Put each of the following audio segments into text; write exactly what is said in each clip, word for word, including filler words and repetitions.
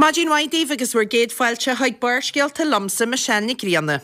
Maidin mhaith daoibh agus bhur gcéad fáilte chuig Barrscéalta liomsa, Michelle Nic Grianna.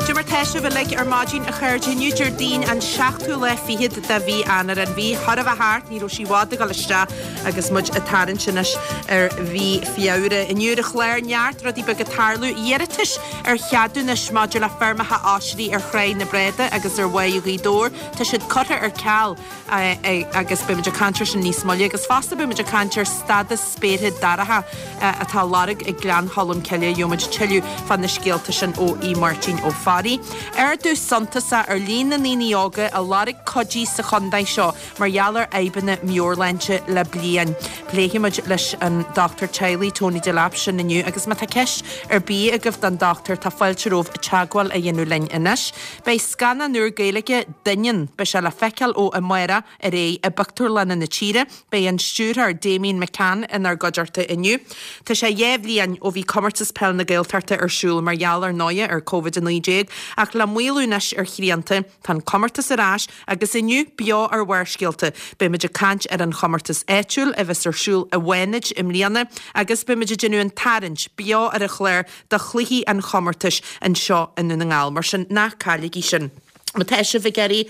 Cad é mar tá sibh uilig ar maidin a chairde inniu Déardaoin an seachtú lá fichead de mhí Eanáir an mhí chóir a bheith thart ní raibh sí i bhfad ag dul isteach agus muid ag tarraingt anois ar mhí Feabhra. Inniu ar an chlár neart rudaí beaga ag tarlú iarratais ar cheadúnais maidir le feirmeacha oisrí ar Thráigh na Bráda agus ar Bháigh Ghaoth Dobhair tá siad curtha ar ceal agus beimid ag caint air sin níos moille agus fosta beimid ag caint ar stádas spéartha dorcha atá á lorg ag Gleann Cholm Cille. Gheobhaimid tuilleadh fá na scéalta sin ó Aodh Máirtín Ó Fearraigh. Ardú suntasach ar líon na ndaoine óga a lorg cuidiú sa chontae seo mar gheall ar fhadhbanna meabhairshláinte le bliain. Pléifimid leis an dochtúir teaghlaigh Tony Delap sin inniu agus má tá ceist ar bith agaibh don dochtúir tá fáilte romhaibh teagmháil a dhéanamh linn anois. Beidh scannán úr Gaeilge Doineann, beidh sé le feiceáil ó amárach ar aghaidh i bpictiúrlanna na tíre. Beidh an stiúrthóir Damian McCann inár gcuideachta inniu. Tá sé dhá bhliain ó bhí Comórtas Peil na Gaeltachta ar siúl mar gheall ar ndóigh ar Covid a naoi déag ach le maolú anois ar shrianta, tá an comórtas ar ais agus inniu beo ar Bharrscéalta. Beimid ag caint ar an chomórtas áitiúil a bheas ar siúl i bhFánaid i mbliana agus beimid ag déanamh an tarraingt beo ar an chlár do chluichí an chomórtais anseo i nDún na nGall. Mar sin ná cailligí sin. Má tá sibh ag iarraidh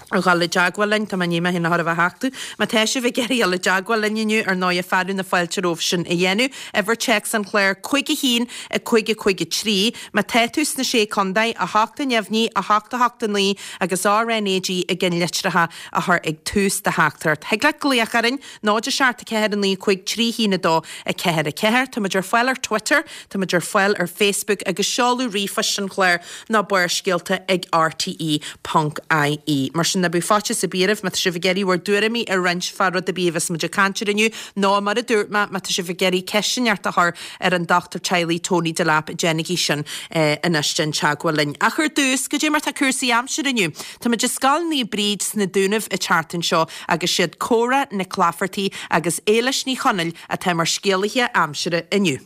a dhul i dteagmháil linn, tá mé i ndiaidh mé féin a chur i bhfeathachta. Má tá sibh ag iarraidh a dhul i dteagmháil linn inniu, ar ndóigh, fearadh na fáilte romhaibh sin a dhéanamh. Uimhir téacs an chláir cúig a haon, a cúig a cúig a trí. Má tá tú sna Sé Contae, a hocht a neamhní, a hocht a hocht a naoi agus RnaG i gceannlitreacha a chur ag tús do theachtaireacht. Thig leat glaoch orainn, náid a seacht a ceathair a naoi cúig trí haon a dó a ceathair a ceathair. Táimid ar fáil ar Twitter, táimid ar fáil ar Facebook agus seoladh ríomhphoist an chláir ná barrscéalta ag rte ponc ie. Mar sin ná bíodh faitíos ar bith oraibh má tá sibh ag iarraidh bhur dtuairimí a roinnt fá rud ar bith a bheas muid ag caint air inniu nó mar a dúirt mé má tá sibh ag iarraidh ceist inteacht a chur ar an dochtúir teaghlaigh Tony Delap déanaigí sin anois déan teagmháil linn. Ach ar dtús, goidé mar tá cúrsaí aimsire inniu? Táimid i Scoil Naomh Bríd sna Dúnaibh an tseachtain seo agus siad Córa Nic Laifeartaigh agus Éilis Ní Chonaill atá mar scéalaithe aimsire inniu.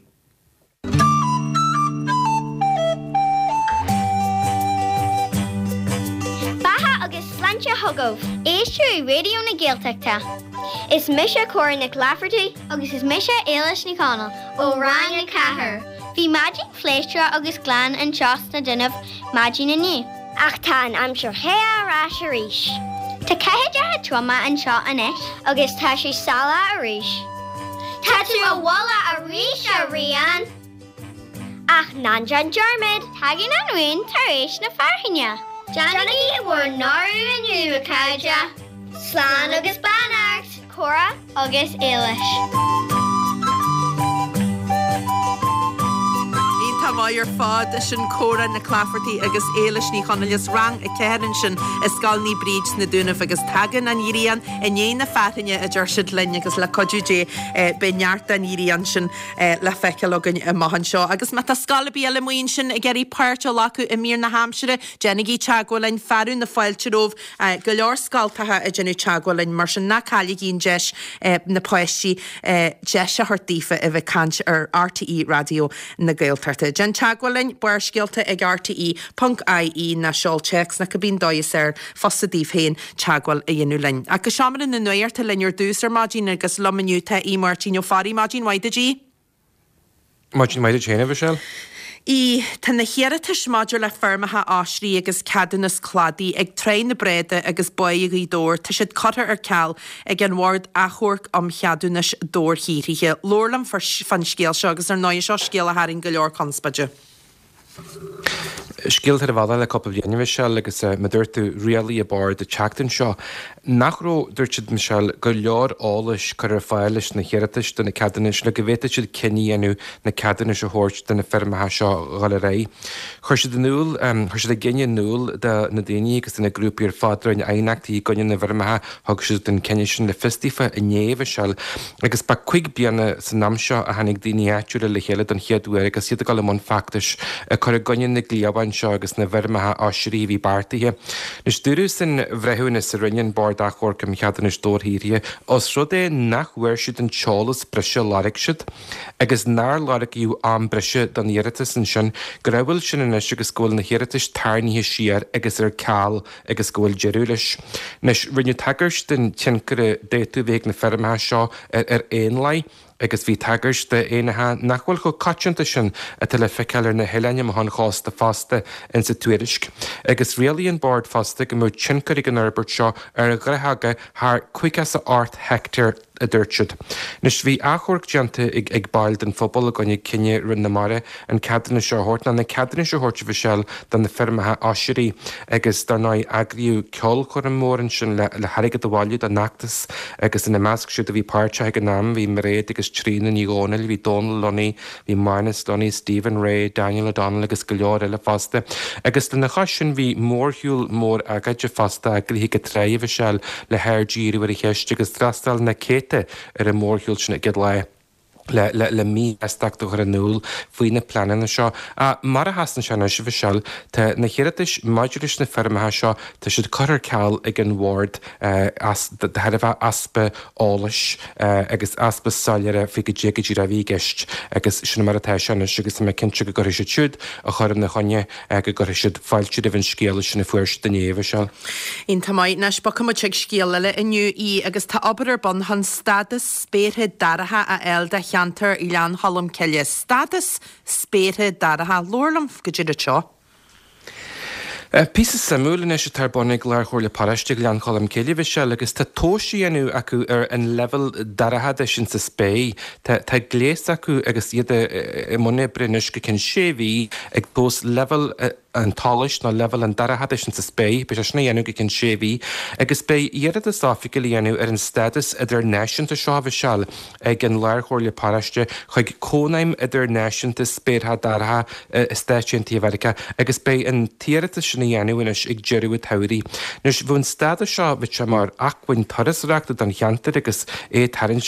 Beatha agus sláinte chugaibh! Éisteoirí Raidió na Gaeltachta. Is mise Córa Nic Laifeartaigh agus is mise Éilis Ní Chonaill ó Rang a Ceathair. Bhí maidin phléisiúrach agus glan anseo sna Dúnaibh maidin inniu. Ach tá an aimsir the ar ais arís. Tá ceathaideacha troma anseo anois agus tá sé salach arís. Tá tú i bhfolach arís, a Rían! Ach ná déan dearmad, tagann an ghrian tar éis na fearthainne. Déanaigí bhur n-orú inniu, a chairde! Slán agus beannacht! Córa agus Éilis. Iontach maith ar fad. Sin Córa Nic Laifeartaigh agus Éilis Ní Chonaill as Rang a Ceathair ansin i Scoil Naomh Bríd sna Dúnaibh agus tagann an ghrian i ndiaidh na fearthainne a deir siad linn agus le cuidiú Dé beidh neart den ghrian sin le feiceáil againn amach anseo. Agus má tá scoil ar bith eile amuigh ansin ag iarraidh páirt a ghlacadh i mír na haimsire, déanaigí teagmháil linn, fearadh na fáilte romhaibh. Go leor scoltacha ag déanamh teagmháil linn, mar sin ná cailligí an deis na páistí deis a thabhairt daofa a bheith ag caint ar RTÉ Raidió na Gaeltachta. Déan teagmháil linn, Barrscéalta ag rte ponc ie nó seol téacs nó cibé an dóigh is fearr fusa daoibh féin teagmháil a dhéanamh linn. Ach go seomra na nuachta linn ar dtús ar maidin agus liom inniu tá Aodh Máirtín Ó Fearraigh. Maidin mhaith duit, Aodh. Maidin mhaith duit féin, a Mhichelle. ii, Tá na hiarratais maidir le feirmeacha oisrí agus ceadúnas cladaigh ag Tráigh na Bráda agus Báigh Ghaoth Dobhair, tá siad curtha ar ceal ag an Bhord Achomhairc um Cheadúnais Dobharshaothraithe. Labhair liom fán scéal seo agus ar ndóigh seo scéal a tharraing go leor conspóide. Scéal atá ar an bhealach le cúpla bliain, a Mhichelle, agus mar a dúirt tú, rialaigh an Bord an tseachtain seo nach raibh, dúirt siad, Michelle, go leor eolais curtha ar fáil leis na hiarratais do na ceadúnais le go bhféadfadh siad cinneadh a dhéanamh na ceadúnais a thabhairt do na feirmeacha seo a dhul ar aghaidh. Chuir siad in iúl, chuir siad a gcinneadh in iúl do na daoine agus do na grúpaí ar fad a rinne aighneachtaí i gcoinne na bhfeirmeacha, thug siad an cinneadh sin le fios daofa inné, Michelle, agus ba cúig bliana san am seo a tháinig daoine áitiúla le chéile don chéad uair agus iad ag dul i mbun feachtais ag cur i gcoinne na gcliabhán oileán seo agus na bhfeirmeacha oisrí a bhí beartaithe. Anois dúradh san bhreithiúnas a rinne an Bord Achomhairc um Cheadúnais Dobharshaothraithe, os rud é nach bhfuair siad an t-eolas breise a lorg siad agus nár lorgaíodh am breise don iarratas ansin, gur amhail sin anois agus go bhfuil na hiarratais tarraingthe siar agus ar ceal agus go bhfuil deireadh leis. Anois, rinneadh tagairt don tionchar a d'fhéadfadh a bheith ag na feirmeacha seo ar éanlaith agus bhí tagairt d'éanacha nach bhfuil chomh coitianta sin atá le feiceáil ar na hoileáin amach ón chósta fosta insa tuairisc. Agus rialaigh an Bord fosta go mbeadh tionchar ag an fhorbairt seo ar ghnáthóga thar caoga is a ocht heicteár, a dúirt siad. Anois, bhí achomharc déanta ag ag baill den phobal i gcoinne cinneadh Roinn na Mara an ceadúnas seo a thabhairt, nó na ceadúnais a thabhairt, a Mhichelle, do na feirmeacha oisrí agus dar ndóigh eagraíodh ceolchoirm mhór ansin le le hairgead a bhailiú don fheachtas agus ina measc siúd a bhí páirteach ag an am bhí Mairéad agus Tríona Ní Dhomhnaill, bhí Dónal Lunny, bhí Manus Lunny, Stephen Rea, Daniel O'Donnell agus go leor eile fosta. Agus lena chois sin bhí mórshiúl mór agóide fosta eagraithe ag an tráigh, a Mhichelle, le haird a dhíriú ar an cheist agus d'fhreastail na céadta ar an mórshiúl sin ag an lá le le le míshástacht a chur in iúl faoi na pleananna seo. Mar a sheasann sé anois, a Mhichelle, tá na hiarratais maidir leis na feirmeacha seo, tá siad curtha ar ceal ag an Bhord as de thairbhe easpa eolais agus easpa soiléire faoi goidé go díreach a bhí i gceist agus sin mar atá sé anois agus tá mé cinnte go gcuirfidh siad siúd a chuir ina choinne, go gcuirfidh siad fáilte roimh an scéala sin a fuair siad inné, a Mhichelle. Iontach maith. Anois bogfaidh muid chuig scéal eile inniu í agus tá obair ar bun chun stádas spéartha dorcha a fháil do cheantar Ghleann Cholm Cille. Stádas spéartha dorcha. Labhair liom goidé rud seo. Píosa suimiúil anois atá ar bun ag Lár-Chomhairle Paróiste Ghleann Cholm Cille, a Mhichelle, agus tá tomhas á dhéanamh acu ar an leibhéal dorchadais insa spéir. Tá tá gléas acu agus iad i mbun oibre anois go ceann sé mhí ag tomhas leibhéal an tsolais nó leibhéal an dorchadais insa spéir. Beidh sé sin á dhéanamh go ceann sé mhí agus beidh iarratas oifigiúil á dhéanamh ar an stádas idirnáisiúnta seo, a Mhichelle, ag an Lár-Chomhairle Paróiste chuig Cónaidhm Idirnáisiúnta Spéartha Dorcha i Stáit Aontaithe Mheiriceá agus beidh an t-iarratas sin á dhéanamh anois ag deireadh an tsamhraidh. Anois, bheadh an stádas seo, bheadh sé mar acmhainn turasóireachta don cheantar agus é ag tarraingt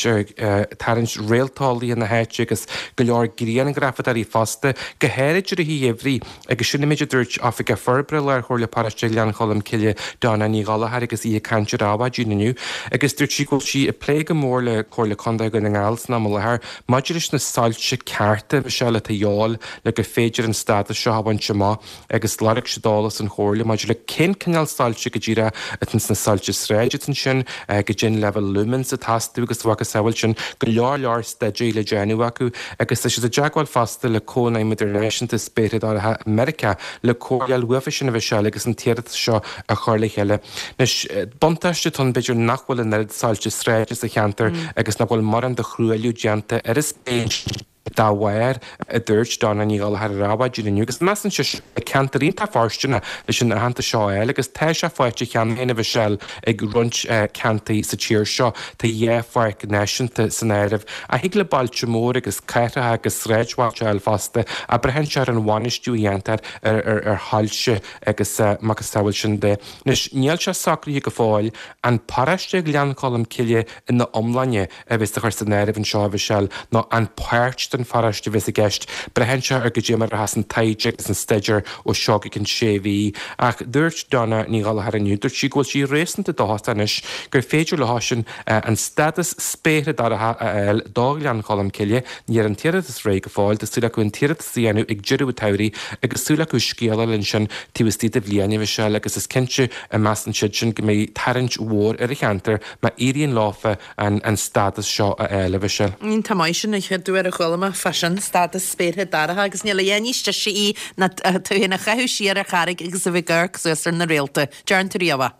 tarraingt réalteolaithe na háite agus go leor grianghrafadóirí fosta, go háirid i rith an gheimhridh agus sin an méid a dúirt Oifigeach Forbartha Lár-Chomhairle Paróiste Ghleann Cholm Cille, Donna Ní Ghallchóir agus í ag caint ar Adhmhaidin inniu agus dúirt sí go bhfuil sí ag plé go mór le Comhairle Contae Dhún na nGall san am i láthair maidir leis na soilse cearta, a Mhichelle, atá a dhíobháil le gur féidir an stádas seo a bhaint amach agus lorg siad eolas ón Chomhairle maidir le cén cineál soilse go díreach atá sna soilse sráide atá ansin, goidé an leibhéal lumens atá astu agus a mhacasamhail sin, go leor leor staidéir le déanamh acu agus tá siad i dteagmháil fosta le Cónaidhm Idirnáisiúnta Spéartha Dorcha i Meiriceá le comhairle a fháil uafa sin a Mhichelle agus an t-iarratas seo a chur le chéile. Anois, buntáiste atá ann b'fhéidir nach bhfuil an oiread soilse sráide sa cheantar agus nach bhfuil mórán de thruailliú déanta ar an spéir dá bharr, a dúirt Donna Ní Ghallchóir ar Adhmhaidin inniu, agus measann sise go bhfuil ceantar iontach fóirsteanach leis an aitheantas seo a fháil agus tá sé faighte cheana féin, a Mhichelle, ag roinnt ceantair sa tír seo. Tá dhá pháirc náisiúnta san áireamh. Ach thig le bailte móra agus cathracha agus sráidbhailte a fháil fosta, ach braitheann sé ar an bhainistiú a dhéantar ar shoilse agus macasamhail sin de. Anois, níl sé socraithe go fóill an paróiste Ghleann Cholm Cille ina iomláine a bheas á chur san áireamh anseo, a Mhichelle, nó an páirt den pharóiste a bheas i gceist. Braitheann sé ar goidé mar a rachas an taighde agus an staidéar ó seo go ceann sé mhí. Ach dúirt Donna Ní Ghallchóir inniu, dúirt sí go bhfuil sí réasúnta dóchasach anois gur féidir leo sin an stádas spéartha dorcha a fháil do Ghleann Cholm Cille. Níl an t-iarratas réidh go fóill. Tá súil acu an t-iarratas a dhéanamh ag deireadh an tsamhraidh agus súil acu scéal a fháil ansin taobh istigh de bhliain, a Mhichelle, agus is cinnte a measann siad sin go mbeidh tarraingt mhór ar an cheantar má éiríonn leofa an stádas seo a fháil, a Mhichelle. Iontach maith, sin an chéad uair a chuala mé fá sin, stádas spéartha dorcha agus níl a dhath níos deise í ná tú féin a chaitheamh siar ar charraig agus a bheith ag amharc suas ar na réalta. Deireann tú riamh é.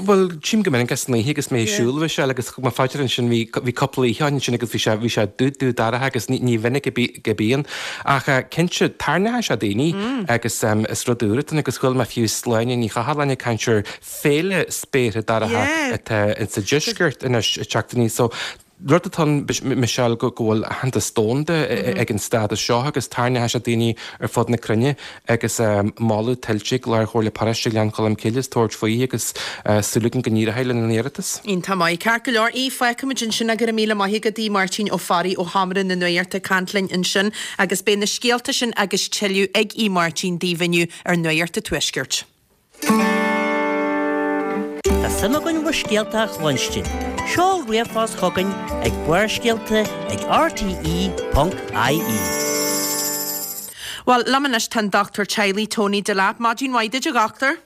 Bhuel, tchím go minic é san oíche agus mé ag siúl, a Mhichelle, agus thug mé fá dear ansin, bhí bhí cúpla oíche ann ansin agus bhí sé bhí sé dubh dubh dorcha agus ní ní mhinic a a bíonn. Ach cinnte, tarraingeoidh sé daoine agus is rud úr atá ann agus chuala mé fiú Sláine Ní Chathalláin ag caint ar féile spéartha dorcha atá insa deisceart anois ag teacht aníos. So, Rud atá ann, Michelle, go bhfuil aitheantas domhanda ag an stádas seo agus tarraingeoidh sé daoine ar fud na cruinne agus moladh tuillte ag Lár-Chomhairle Paróiste Ghleann Cholm Cille as tabhairt faoi agus súil againn go n-éireoidh lena n-iarratas. Iontach maith. Ceart go leor. Aodh, fágfaimid ansin go raibh míle maith agat, Aodh Máirtín Ó Fearraigh ó Sheomra na Nuachta ag caint linn ansin agus beidh na scéalta sin agus tuilleadh ag Aodh Máirtín daoibh inniu ar Nuacht an Tuaiscirt. Tá suim againn bhur scéalta a chluinstin. Seol ríomhphost chugainn ag Barrscéalta ag R T E ponc I E. Bhuel, liom anois tá an dochtúir teaghlaigh Tony Delap. Maidin mhaith duit, a dhochtúir.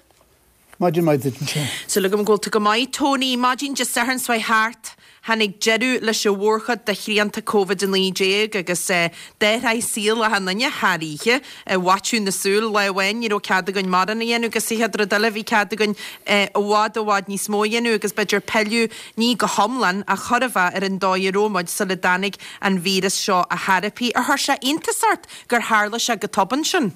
Maidin mhaith duit anseo. Súil agam go bhfuil tú go maith, Tony. Maidin Dé Sathairn seo thart, tháinig deireadh leis an mhórchuid de shrianta Covid a naoi déag agus d'athraigh saol achan duine thar oíche. I bhfaiteadh na súl, lá amháin ní raibh cead againn mórán a dhéanamh agus sa chéad rud eile bhí cead againn i bhfad i bhfad níos mó a dhéanamh agus b'fhéidir pilleadh, ní go hiomlán ach chóir a bheith, ar an dóigh a raibh muid sula dtáinig an víreas seo a thairpí. Ar chuir sé iontas ort gur tharla sé go tobann sin?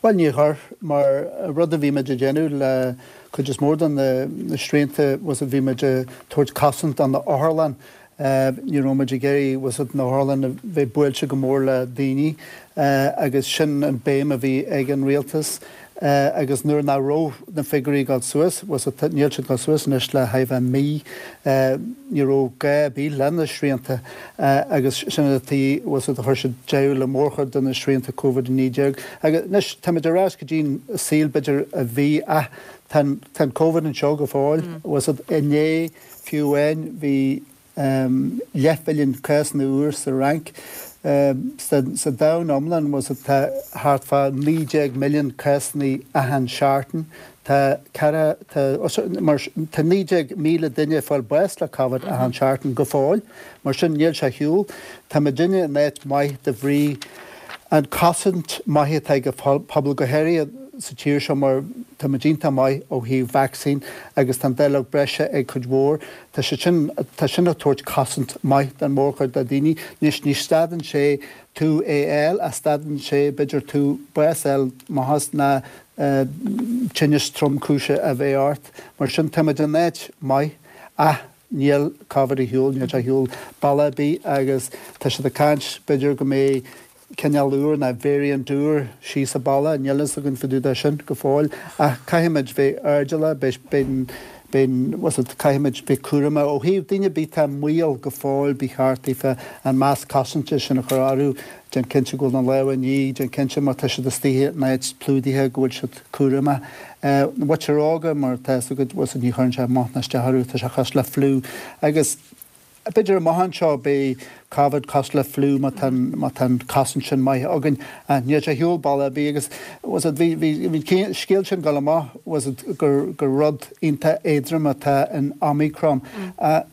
Bhuel, níor chuir, mar rud a bhí muid ag déanamh le cuid is mór de na srianta was bhí muid ag tabhairt cosaint do na otharlann. Ní raibh muid ag iarraidh was na otharlann a bheith buailte go mór le daoine agus sin an béim a bhí ag an rialtas agus nuair nach raibh na figiúirí ag dul suas, was níl siad ag dul suas anois le thart mí, ní raibh gá ar bith le na srianta agus sin an tuige was a chuir siad deireadh le mórchuid de na srianta Covid a naoi déag. Agus anois táimid ar ais go dtí an saol b'fhéidir a bhí ach tá an Covid anseo go fóill, was inné fiú amháin bhí leathmhilliún cásanna úr sa Fhrainc. Sa domhan iomlán was tá thart fá naoi déag milliún cásanna achan seachtain. Tá ceithre tá mar tá naoi déag míle duine ag fáil bás le Covid achan seachtain go fóill. Mar sin níl sé ar shiúl. Tá muidinne in áit maith de bhrí an cosaint maith atá ag an pobal go háirithe sa tír seo mar tá muid iontach maith ó thaobh vacsaín agus tá an dáileog breise ag cuid mhór. Tá sé sin tá sin ag tabhairt cosaint maith don mhórchuid de daoine. Anois ní stadann sé tú é fháil ach stadann sé b'fhéidir tú bás a fháil maitheas ná tinneas tromchúise a bheith ort. Mar sin tá muid in áit maith ach níl Covid ar shiúl, níl sé ar shiúl bealach ar bith agus tá siad ag caint b'fhéidir go mbeidh cineál úr ná variant úr síos sa baile, níl fhios againn fá dtaobh de sin go fóill ach caithfimid bheith airdeallach, beidh beidh beidh caithfimid bheith cúramach ó thaobh daoine ar bith atá i mbaol go fóill ba cheart daofa an masc cosanta sin a chur orthu, déan cinnte go bhfuil na lámha á ní, déan cinnte má tá siad istigh in áit plódaithe go bhfuil siad cúramach. Na muintir óga mar tá fhios agat ní chuireann sé amach ná isteach orthu, tá sé cosúil le fliú agus b'fhéidir amach anseo beidh Covid cosúil le fliú má tá má tá an cosaint sin maith againn. Níl sé ar shiúl bealach ar bith agus was it bhí bhí bhí scéal sin ag dul amach was it gur gur rud iontach éadrom atá in Omicron.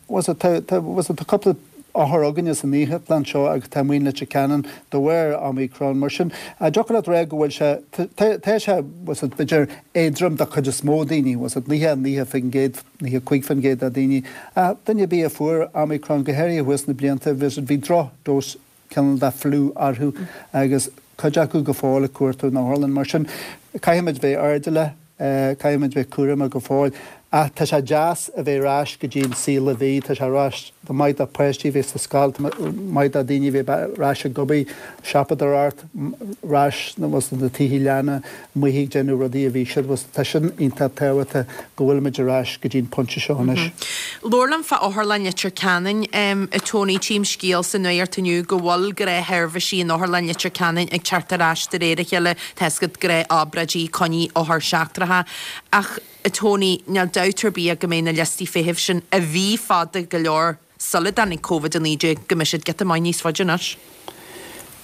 Was it tá tá was it tá cúpla othar againne san otharlann seo agus tá amuigh in Leitir Ceanainn de bharr Omicron. Mar sin dtiocfadh leat rá go bhfuil sé tá sé was it b'fhéidir éadrom do chuid is mó daoine was it naocha naocha faoin gcéad naocha cúig faoin gcéad de daoine. Ach duine ar bith a fuair Omicron go háirithe thuas na blianta bhí bhí drochdhós cineál de fliú orthu agus cuid acu go fóill ag cuartú na hotharlann. Mar sin caithfimid bheith airdeallach, caithfimid bheith cúramach go fóill. Ach tá sé deas a bheith ar ais go dtí an saol a bhí, tá sé ar ais maith do páistí a bheith sa scoil, maith do daoine a bheith ar ais ag obair, siopadóireacht, ar ais na tithe leanna, amuigh ag déanamh rudaí a bhí siad, tá sin iontach tábhachtach go bhfuilimid ar ais go dtí an pointe seo anois. Labhair liom fá Otharlann Leitir Ceanainn, a Tony, tchím scéal sa nuacht inniu go bhfuil gnáthsheirbhísí in Otharlann Leitir Ceanainn ag teacht ar ais de réir a chéile, tá fhios agat gnáthobráidí, coinní othar seachtracha ach, a Tony, níl dabht ar bith go mbeidh na liostaí feithimh sin a bhí fada go leor sula dtáinig Covid a naoi déag, go mbeidh siad giota maith níos faide anois.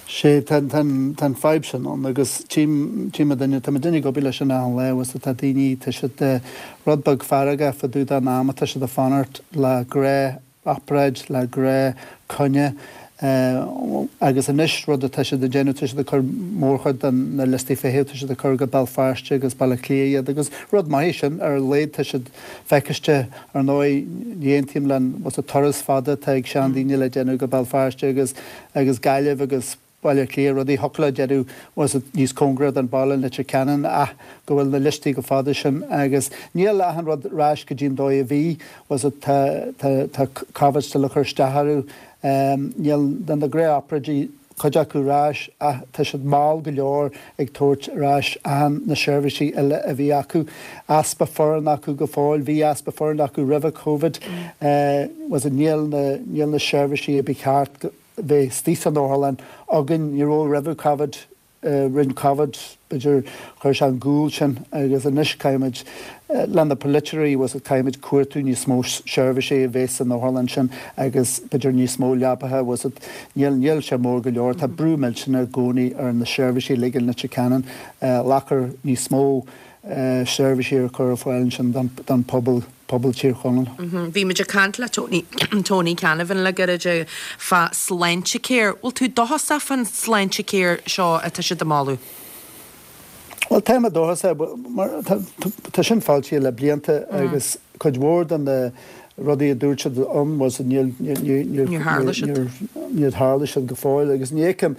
Sé, tá an fadhb sin ann agus tchím, tchím duine, tá muidinne ag obair leis sin achan lá agus tá daoine, tá siad rud beag feargach fá dtaobh den am atá siad ag fanacht le gnáth obráid le gnáth coinne agus anois rud atá siad ag déanamh tá siad ag cur mórchuid de na liostaí feithimh tá siad ag cur go Béal Feirste agus Baile Átha Cliath iad agus rud maith é sin ar a laghad tá siad feiciste ar ndóigh ní aontaím le an turas fada atá ag seandaoine le déanamh go Béal Feirste agus agus Gaillimh agus Baile Átha Cliath, rudaí thiocfadh leo déanamh bhfuil fhios níos cóngaraí don bhaile Leitir Ceanainn ach go bhfuil na liostaí chomh fada sin agus níl achan rud ar ais go dtí an dóigh a bhí bhfuil fhios tá tá tá Covid still ag cur isteach orthu níl na gnáthobráidí cuid acu ar ais ach tá siad mall go leor ag tabhairt ar ais achan na seirbhísí eile a bhí acu. Easpa foireann acu go fóill, bhí easpa foireann acu roimhe Covid bhfuil fhios níl na níl na seirbhísí a ba cheart bheith istigh san otharlann againn, ní raibh roimhe Covid, rinne Covid b'fhéidir chuir sé an gual sin agus anois caithfimid le na polaiteoirí bhfuil fhios caithfimid cuartú níos mó seirbhísí a bheith san otharlann sin agus b'fhéidir níos mó leapacha bhfuil fhios níl níl sé mór go leor tá brú millteanach i gcónaí ar na seirbhísí uilig i Leitir Ceanainn lachar níos mó seirbhísí a chur ar fáil ansin don don pobal pobal Tír Chonaill. Bhí muid ag caint le Tony Tony Canavan le gairid fá Sláintecare. Bhfuil tú dóchasach fán Sláintecare seo atá siad ag moladh? Bhuel tá mé dóchasach mar tá sin fáilte le blianta agus cuid mhór de na rudaí a dúirt siad ann was níl níor tharla siad. Níor tharla siad go fóill agus ní fheicim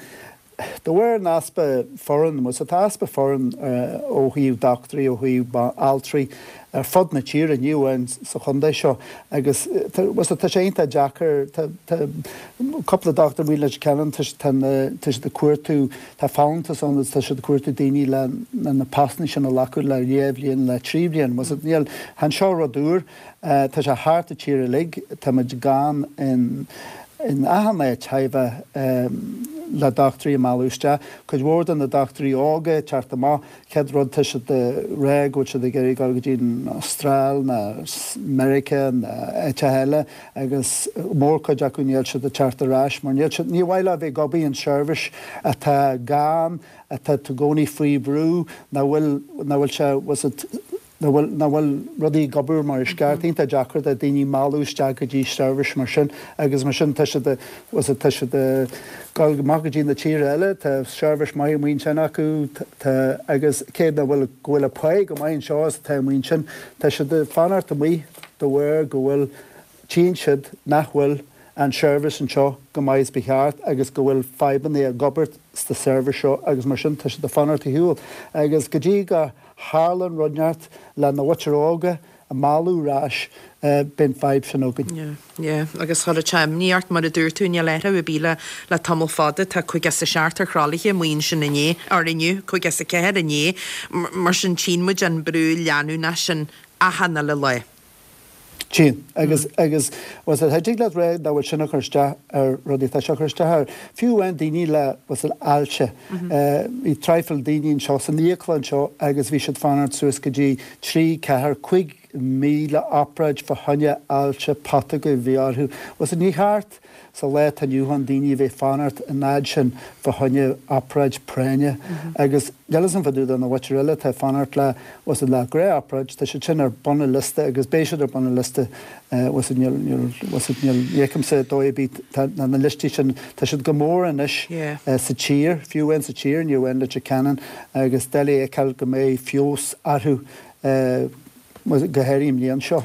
De bharr an easpa foireann, bhfuil fhios tá easpa foireann ó thaobh dochtúirí, ó thaobh altraí ar fud na tíre, ní amháin sa chontae seo agus bhfuil fhios tá sé iontach deacair, tá tá cúpla dochtúir amuigh i Leitir Ceanainn, tá tá na tá siad ag cuartú, tá folúntas ann agus tá siad ag cuartú daoine le na postanna sin a ghlacadh le dhá bhliain, le trí bhliain, bhfuil fhios níl, chan seo rud úr, tá sé thart an tír uilig, tá muid gann in in achan áit thaobh le dochtúirí a mhealladh isteach. Cuid mhór de na dochtúirí óga ag teacht amach, chéad rud tá siad ag rá go bhfuil siad ag iarraidh dul go dtí an Astráil ná Meiriceá ná áiteacha eile agus mórchuid acu níl siad ag teacht ar ais mar níl siad, ní mhaith leo a bheith ag obair in seirbhís atá gann, atá i gcónaí faoi bhrú, nach bhfuil, nach bhfuil sé, bhfuil siad, nach bhfuil, nach bhfuil rudaí ag obair mar is ceart. Iontach deacair do daoine mealladh isteach go dtí seirbhís mar sin agus mar sin tá siad, bhfuil fhios tá siad ag dul amach go dtí na tíortha eile, tá seirbhís maith amuigh ansin acu, tá, agus cé nach bhfuil, go bhfuil an pá go maith anseo is atá amuigh ansin, tá siad ag fanacht amuigh de bharr go bhfuil, tchíonn siad nach bhfuil an seirbhís anseo go maith is ba cheart agus go bhfuil fadhbanna ag obair sa seirbhís seo agus mar sin tá siad ag fanacht ar shiúl agus go dtí go tharlann rud inteacht le na mhuintir óga a mhealladh ar ais beidh an fadhb sin againn. Yeah, yeah, agus chuirfeadh sé imní ort mar a dúirt tú, níl athrú ar bith le le tamall fada, tá caoga is a seacht ar thralaithe amuigh ansin inné, or inniu, caoga is a ceathair inné, mar sin tchíonn muid an brú leanúnach sin achan uile lá. Tchíonn. Agus, agus, bhfuil fhios a'd, thig leat rá nach bhfuil sin ag cur isteach ar rudaí, tá sé ag cur isteach ar, fiú amháin daoine le, bhfuil fhios a'd, ailse. Bhí traidhfil daoine anseo san íoclann anseo agus bhí siad fanacht suas go dtí trí, ceathair, cúig mí le obráid fá choinne ailse putóga a bhí orthu. Bhfuil fhios a'd, ní cheart sa lá atá inniu ann daoine a bheith fanacht an fhad sin fá choinne obráid práinne agus níl fhios a'm fá dtaobh de na mhuintir eile atá ag fanacht le bhfuil fhios a'd le gnáthobráid, tá siad sin ar bun an liosta agus beidh siad ar bun an liosta bhfuil fhios a'd níl níl bhfuil fhios a'd níl ní fheicimse dóigh ar bith tá na na liostaí sin tá siad go mór anois sa tír fiú amháin sa tír ní amháin Leitir Ceanainn agus doiligh a fheiceáil go mbeidh feabhas orthu go háirithe an bhliain seo.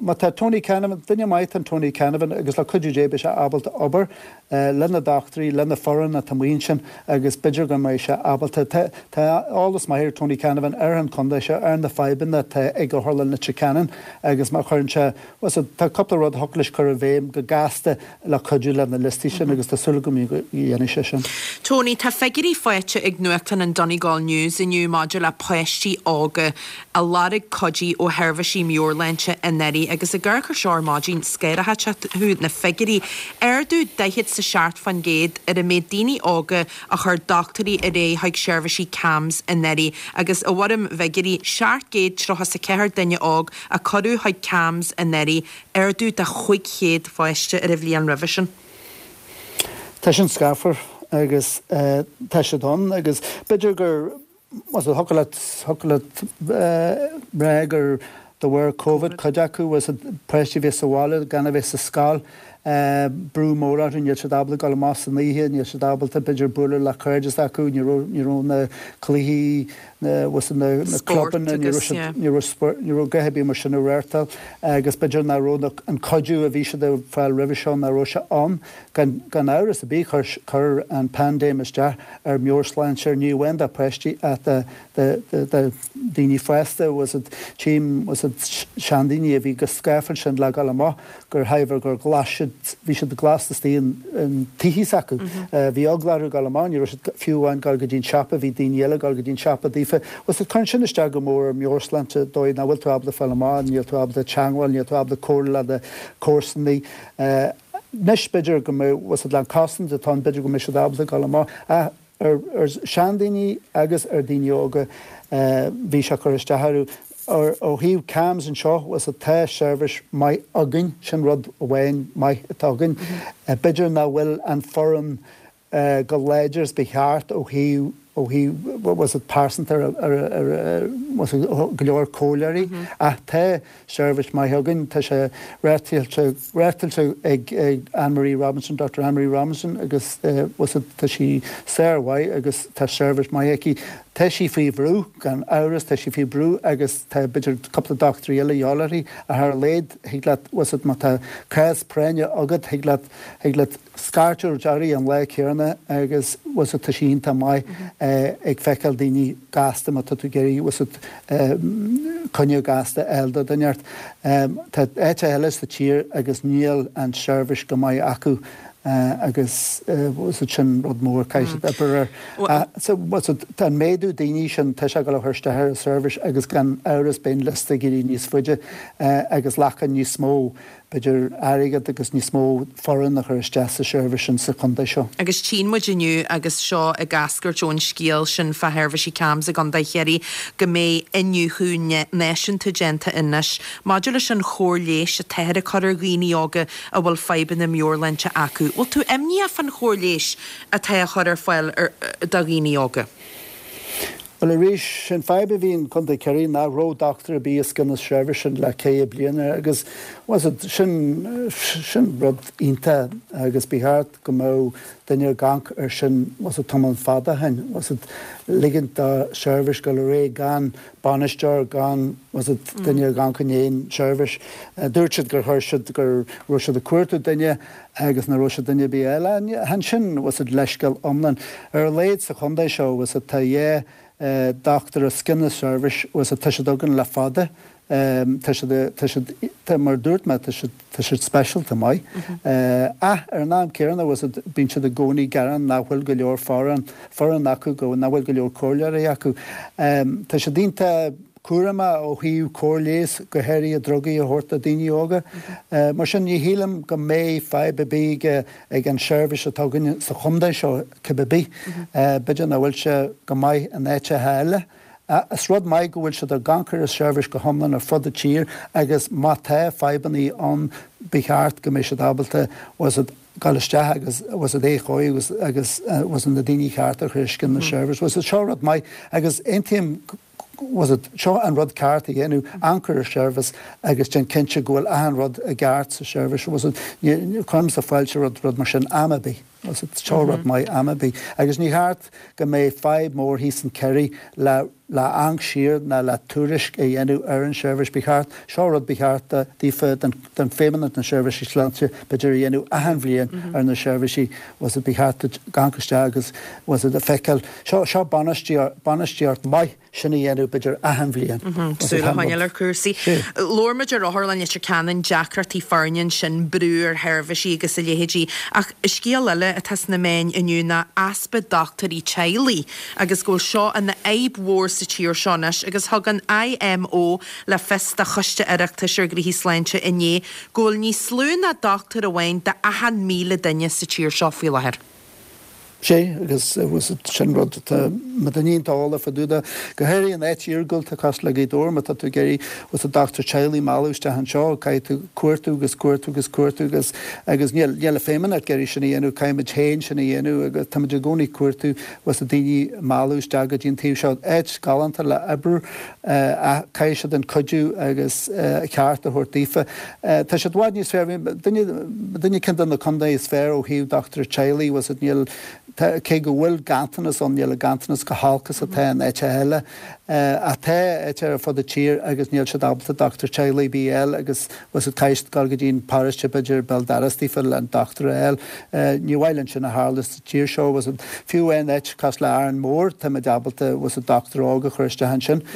Má tá Tony Canavan, duine maith atá in Tony Canavan agus le cuidiú Dé beidh sé ábalta obair le na dochtúirí, le na foireann atá amuigh ansin agus b'fhéidir go mbeidh sé ábalta. Tá eolas maith ar Tony Canavan ar an chontae seo, ar na fadhbanna atá ag Otharlann Leitir Ceanainn agus má chuireann sé, bhuel tá cúpla rud a thiocfadh leis cur i bhfeidhm go gasta le cuidiú le na liostaí sin agus tá súil agam go ndéanfaidh sé sin. Tony, tá figiúirí faighte ag nuachtán an Donegal News inniu maidir le páistí óga a lorg cuidiú ó sheirbhísí meabhairshláinte anuraidh agus ag amharc air seo ar maidin, scanródh thú na figiúirí. Ardú daichead is a seacht faoin gcéad ar an méid daoine óga a chuir dochtúirí ar aghaidh chuig seirbhísí CAMHS anuraidh agus i bhfoirm bhfigiúirí, seacht gcéad tríocha is a ceathair duine óg a cuireadh chuig CAMHS anuraidh, ardú de chúig chéad pháiste ar an bhliain roimhe sin. Tá sin scáfar agus tá siad ann agus b'fhéidir gur thiocfadh leat, thiocfadh leat rá gur de bharr Covid cuid acu, bhfuil fhios a'd, páistí a bheith sa bhaile gan a bheith sa scoil. Brú mór orthu, níl siad ábalta dul amach san oíche, níl siad ábalta b'fhéidir bualadh le cairde s'acu, ní raibh ní raibh na cluichí, na bhfuil na na clubanna, ní raibh siad ní raibh spórt ní raibh a dhath ar bith mar sin á reáchtáil agus b'fhéidir nach raibh an cuidiú a bhí siad ag fáil roimhe seo, nach raibh sé ann. Gan gan amhras ar bith chuir chuir an paindéim isteach ar meabhairshláinte ní amháin do pháistí ach do do do do daoine fásta, bhfuil a fhios agat, tchím bhfuil a fhios agat seandaoine a bhí chomh scáfáil sin le dhul amach gur shaibhir gur ghlas siad, bhí siad glasta istigh in tithe s'acu. Bhí eagla orthu dhul amach, ní raibh siad fiú amháin dul go dtí an siopa, bhí daoine eile dul go dtí an siopa daofa. Bhfuil a fhios agat, cuireann sin isteach go mór ar meabhairshláinte dóigh nach bhfuil tú ábalta fáil amach, níl tú ábalta teangmháil, níl tú ábalta comhrá le do chomharsanaí. Anois b'fhéidir go mbeidh, bhfuil a fhios agat, le an cosaint atá ann, b'fhéidir go mbeidh siad ábalta dhul amach. Ach ar seandaoine agus ar daoine óga bhí sé ag cur isteach orthu. Ó thaobh CAMHS anseo, bhfuil a fhios agat, tá seirbhís maith againn, sin rud amháin maith atá againn. B'fhéidir nach bhfuil an foireann chomh láidir is ba cheart ó thaobh ó thaobh bhfuil a fhios agat pearsanta ar ar ar bhfuil a fhios agat go leor comhairleoirí ach tá seirbhís maith againn. Tá sé reáchtáilte reáchtáilte ag ag Anne Marie Robinson, Doctor Anne Marie Robinson agus bhfuil a fhios agat tá sí sármhaith agus tá seirbhís maith aici. Tá sí faoi bhrú, gan amhras, tá sí faoi bhrú agus tá b'fhéidir cúpla dochtúirí eile a dhíobháil uirthi ach ar a laghad thig leat, bhfuil a fhios agat má tá cás práinne agat thig leat, thig leat scairteadh uirthi an lá céanna agus bhfuil a fhios agat tá sí iontach maith ag feiceáil daoine gasta má tá tú ag iarraidh, bhfuil a fhios agat coinne gasta a fháil do dhuine inteacht. Tá áiteacha eile sa tír agus níl an tseirbhís go maith acu. Agus bhfuil a fhios agat sin rud mór caithfidh siad obair air. So bhfuil a fhios agat tá an méadú daoine sin tá sé ag dul a chur isteach ar an seirbhís agus gan amhras beidh an liosta ag éirí níos faide agus glacadh níos mó b'fhéidir airgead agus níos mó foireann a chur isteach sa seirbhís sin sa chontae seo. Agus tchíonn muid inniu agus seo ag eascairt ón scéal sin fá sheirbhísí CAMHS i gContae Chiarraí go mbeidh iniúchadh náisiúnta déanta anois maidir leis an chóir leighis atáthar ag cur ar dhaoine óga a bhfuil fadhbanna meabhairshláinte acu. Bhfuil tú imníoch fán chóir leighis atá á chur ar fáil do dhaoine óga? Bhuel arís, sin fadhb a bhí in Contae Chiarraí nach raibh dochtúir ar bith os cionn na seirbhíse sin le ceithre bliana agus bhfuil a fhios agat sin, sin rud iontach agus ba cheart go mbeadh duine ag amharc air sin bhfuil a fhios agat tamall fada ó shin, bhfuil a fhios agat ligint do sheirbhís dul ar aghaidh gan bainisteoir, gan bhfuil a fhios agat duine ag amharc i ndiaidh an tseirbhís. Dúirt siad gur chuir siad, go raibh siad ag cuartú duine agus nach raibh siad duine ar bith eile. Ansin bhfuil a fhios agat leithscéal iomlán. Ar a laghad sa chontae seo bhfuil a fhios agat tá dhá dochtúir os cionn na seirbhís bhfuil a fhios agat tá siad againn le fada. Tá siad, tá siad, tá, mar a dúirt mé, tá siad, tá siad speisialta maith. Ach ar an am céanna bhfuil a fhios agat bíonn siad i gcónaí ag gearán nach bhfuil go leor foireann, foireann acu, go, nach bhfuil go leor comhairleoirí acu. Tá siad iontach cúramach ó thaobh cóir leighis, go háirithe drugaí a thabhairt do daoine óga. Mar sin ní shílim go mbeidh fadhb ar bith ag, ag an seirbhís atá againn sa chontae seo cibé ar bith. B'fhéidir nach bhfuil sé go maith in áiteacha eile. Is rud maith go bhfuil siad ag amharc ar an seirbhís go hiomlán ar fud na tír agus má tá fadhbanna ann ba cheart go mbeidh siad ábalta bhfuil a fhios agat dul isteach agus bhfuil a fhios agat é a chóiriú agus agus bhfuil a fhios agat na daoine cearta a chur os cionn na seirbhís. Bhfuil a fhios agat seo rud maith agus aontaím bhfuil a fhios agat seo an rud ceart a dhéanamh, amharc ar an seirbhís agus déan cinnte go bhfuil achan rud i gceart sa seirbhís. Bhfuil a fhios agat ní cuirimse fáilte roimh rud mar sin am ar bith. Bhfuil a fhios agat seo rud maith am ar bith. Agus ní cheart go mbeidh fadhb mór thíos in Kerry le le amharc siar ná le tuairisc a dhéanamh ar an seirbhís. Ba cheart, seo rud ba cheart daofa, don don Feidhmeannacht na Seirbhísí Sláinte, b'fhéidir a dhéanamh achan bhliain ar na seirbhísí, bhfuil a fhios agat ba cheart duit amharc isteach agus bhfuil a fhios agat a feiceáil. Seo seo bainistíocht maith sin a dhéanamh b'fhéidir achan bhliain. Súil a choinneáil ar chúrsaí. Labhair muid ar Otharlann Leitir Ceanainn, deacrachtaí foirne ansin, brú ar sheirbhísí agus a leithéidí. Ach scéal eile atá sna meáin inniu ná easpa dochtúirí teaghlaigh agus go bhfuil seo ina fhadhb mhór sa tír seo anois agus thug an IMO le fios do Choiste Oireachtais ar Ghnóthaí Sláinte inné go bhfuil níos lú ná dochtúir amháin d'achan míle duine sa tír seo faoi láthair. Sé agus sin rud atá ma duine iontach eolach fá dtaobh de, go háirithe in áit iargúlta cosúil le Gaoth Dobhair, má tá tú ag iarraidh bhfuil a fhios agat dochtúir teaghlaigh a mhealladh isteach anseo, caithfidh tú cuartú agus cuartú agus cuartú agus agus níl níl an Feidhmeannacht ag iarraidh sin a dhéanamh, caithfimid féin sin a dhéanamh agus táimid i gcónaí ag cuartú bhfuil a fhios agat daoine a mhealladh isteach go dtí an taobh seo. Áit galánta le oibriú ach caithfidh siad an cuidiú agus ceart a thabhairt daofa. Tá siad i bhfad níos fearr, duine duine ceann de na contaetha is fearr ó thaobh dochtúir teaghlaigh, bhfuil a fhios agat níl Cé go bhfuil ganntanas ann, níl an ganntanas chomh holc is atá in áiteacha eile. Ach tá áiteacha ar fud an tír agus níl siad ábalta dochtúir teaghlaigh ar bith a fháil agus bhfuil a fhios agat caithfidh siad dul go dtí an paróiste b'fhéidir béal dorais daofa le an dochtúir a fháil. Ní mhaith linn sin a tharlú sa tír seo, bhfuil a fhios agat. Fiú in áit cosúil le Árainn Mhór, táimid ábalta bhfuil a fhios agat dochtúir óg a chur isteach ansin.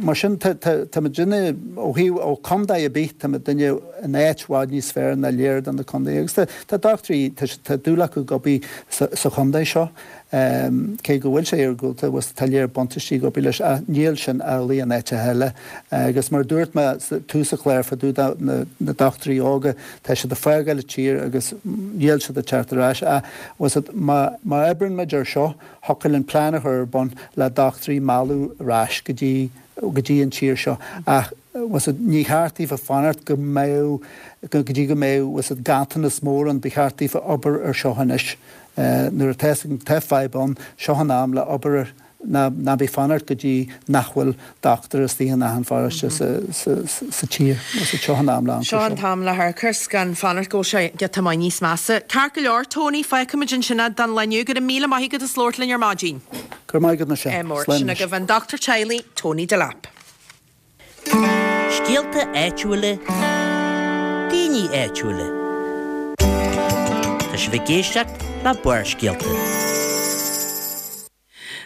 Mar sin tá táimid ó thaobh ó chontae ar bith, táimid in áit i bhfad níos fearr ná lear de na contaetha agus tá dochtúirí, tá dúil acu ag obair sa chontae seo, cé go bhfuil sé iargúlta, tá léar buntáistí ag obair leis ach níl sin amhlaidh in áiteacha eile. Agus mar a dúirt mé tús an chláir fá dtaobh de na dochtúirí óga, tá siad ag fágáil an tír agus níl siad ag teacht ar ais ach bhfuil a fhios agat, má oibríonn muid ar seo, thiocfadh linn plean a chur ar bun le dochtúirí a mhealladh ar ais go dtí go dtí an tír seo ach bhfuil a fhios agat, ní cheart daofa fanacht go mbeadh, go dtí go mbeadh, bhfuil a fhios agat, ganntanas mór ann, ba cheart daofa obair ar seo anois. Nuair atá tá fadhb ann, seo an am le obair air, ná ná bí fanacht go dtí nach bhfuil dochtúir istigh in achan pharóiste sa sa sa tír. Bhfuil a fhios agat, seo an am le Seo an t-am le hamharc gan fanacht go bhfuil sé giota maith níos measa. Ceart go leor, Tony, fágfaimid ansin é don lá inniu. Go raibh míle maith agat as labhairt linn ar maidin. Go raibh maith agat, Michelle. Mór. Slán Sin anois. agaibh an dochtúir teaghlaigh, Tony Delap. Scéalta áitiúla, daoine áitiúla. Tá sibh ag éisteacht le Barrscéalta.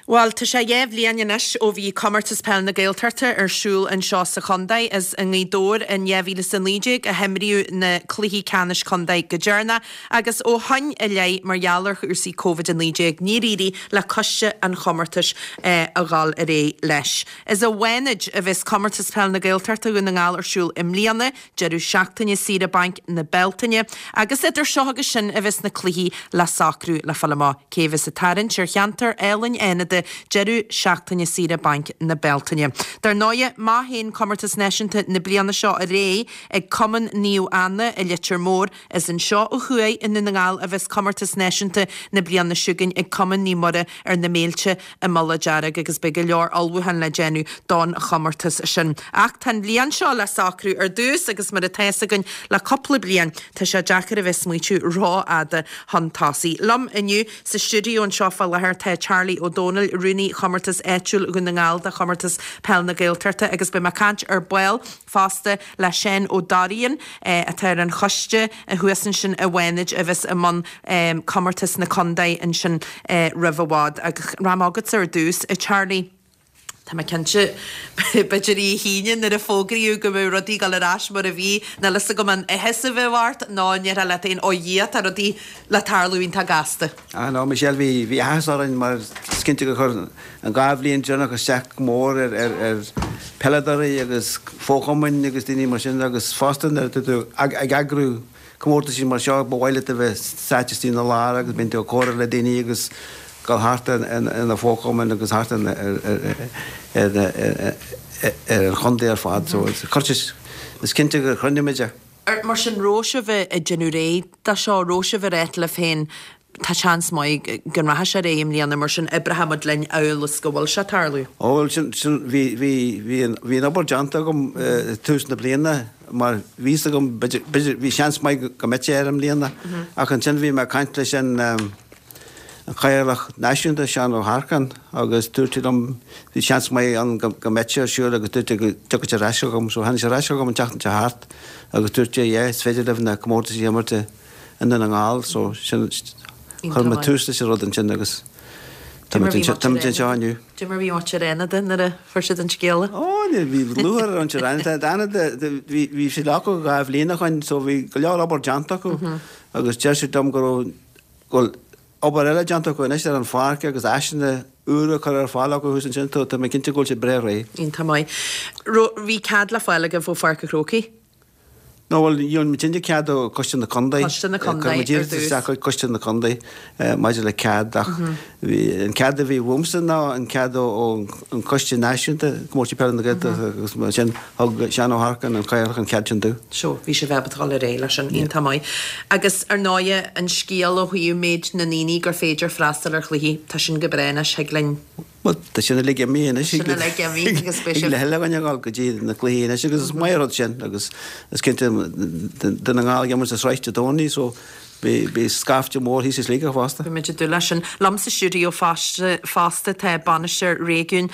Bhuel, tá sé dhá bhliain anois ó bhí Comórtas Peil na Gaeltachta ar siúl anseo sa chontae. Is i nGaoth Dobhair in dhá mhíle is a naoi déag a himríodh na cluichí ceannais contae go deireanach agus ó shoin i leith, mar gheall ar chúrsaí Covid a naoi déag, níor éirigh le coiste an chomórtais a dhul ar aghaidh leis. Is i bhFánaid a bheas Comórtas Peil na Gaeltachta Dhún na nGall ar siúl i mbliana, deireadh seachtaine saoire bainc na Bealtaine, agus idir seo agus sin a bheas na cluichí le socrú le fáil amach cé a bheas ag tarraingt ar cheantar álainn Fhánada deireadh seachtaine saoire bainc na Bealtaine. Dar ndóighe, má théann Comórtas Náisiúnta na bliana seo ar aghaidh ag Cumann Naomh Anna i Leitir Móir, is anseo ó thuaidh i nDún na nGall a bheas Comórtas Náisiúnta na bliana seo chugainn ag Cumann Naomh Muire ar na Méilte i Mullach Dearg agus beidh go leor ullmhúchán le déanamh don chomórtas sin. Ach tá an bhliain seo le socrú ar dtús agus mar atá fhios againn le cúpla bliain tá sé deacair a bheith ag smaoitiú rófhada chun tosaigh. Liom inniu sa stiúideo anseo fá láthair tá Charlie Ó Dónaill, Rúnaí Chomórtas Áitiúil Dhún na nGall do Chomórtas Peil na Gaeltachta agus beidh mé ag caint ar ball fosta le Seán Ó Dorraoin atá ar an choiste thuas ansin i bhFánaid a bheas i mbun comórtas na contae ansin roimh i bhfad. Ach rachaidh mé chugatsa ar dtús, a Charlie. Tá mé cinnte, b'fhéidir oíche hAoine nuair a fógraíodh go mbeadh rudaí ag dul ar ais mar a bhí, níl fhios agam an áthas a bheadh ort nó an ndéarfá leat féin, ó Dhia, tá rudaí le tarlú iontach gasta. Ah no, Michelle, bhí, bhí áthas orainn mar is cinnte gur chuir an dhá bhliain deireanach isteach go mór ar, ar, ar peileadóirí agus fochumainn agus daoine mar sin agus fosta nuair atá tú ag, ag eagrú comórtaisí mar seo, ba mhaith leat a bheith sáite istigh ina lár agus bíonn tú ag comhrá le daoine agus dul thart ar na fochumainn agus thart ar an chontae ar fad. So is cinnte gur chruinnigh muid é. Mar sin, raibh sibh ag déanamh réidh dó seo, raibh sibh ag ráit libh féin tá seans maith go rachaidh sé ar aghaidh i mbliana, mar sin oibreoidh muid linn amhail is go bhfuil sé ag tarlú? Ó bhuel, sin, sin, bhí, bhí, bhí an, bhí an obair déanta agam tús na bliana mar bhí fhios agam, b'fhéidir, b'fhéidir, bhí seans maith go mbeadh sé ar i mbliana ach ansin bhí mé ag caint leis an, an Cathaoirleach Náisiúnta, Seán Ó hEarcáin, agus dúirt sé liom, bhí seans maith ann go mbeadh sé ar siúl agus dúirt sé go dtiocfadh sé ar ais chugam. So tháinig sé ar ais chugam an tseachtain seo thart agus dúirt sé, yeah, is féidir libh na comórtais a imirt i nDún na nGall. So sin, chuir mé tús leis an rud ansin agus táimid anseo inniu. Cad é mar a bhí muintir Fhánada nuair a fuair siad an scéala? Ó, bhí lúcháir ar mhuintir Fhánada. Fhánada, bhí siad acu dhá bhliain ó shoin so bhí go leor obair déanta acu agus deir siad liom go raibh, go bhfuil obair eile déanta acu anois ar an pháirc agus áiseanna úra curtha ar fáil acu thuas ansin, tá mé cinnte go bhfuil siad breá réidh. Iontach maith. Raibh, bhí cead le fáil agaibh ó Pháirc an Chrócaigh? No bhuel, gheobhaidh muidinne cead ó Coiste na Contae. Coiste na Contae ar dtús. Chuir muid iarratas isteach chuig Coiste na Contae maidir le cead ach bhí an cead a bhí uaimse ná an cead ó an Coiste Náisiúnta, Comórtas Peile na Gaeltachta agus mar sin thug Seán Ó hEarcáin, an Cathaoirleach, an cead sin domh. So, bhí sibh ábalta dul ar aghaidh leis sin, iontach maith. Agus ar ndóighe, an scéal ó thaobh méid na ndaoine gur féidir freastal ar chluichí, tá sin go breá anois, thig linn. Bhuel, tá sin uilig imithe anois. Sin uilig imithe agus beidh sibh. Thig le chuile dhuine a dhul go dtí na cluichí anois agus is maith an rud sin agus is cinnte Dún na nGall ag imirt sa sraith Dé Domhnaigh so beidh scaifte mór thíos i Sligeach fosta. Beidh muid ag dúil leis sin. Liom sa stiúideo fosta tá Bainisteoir Réigiúin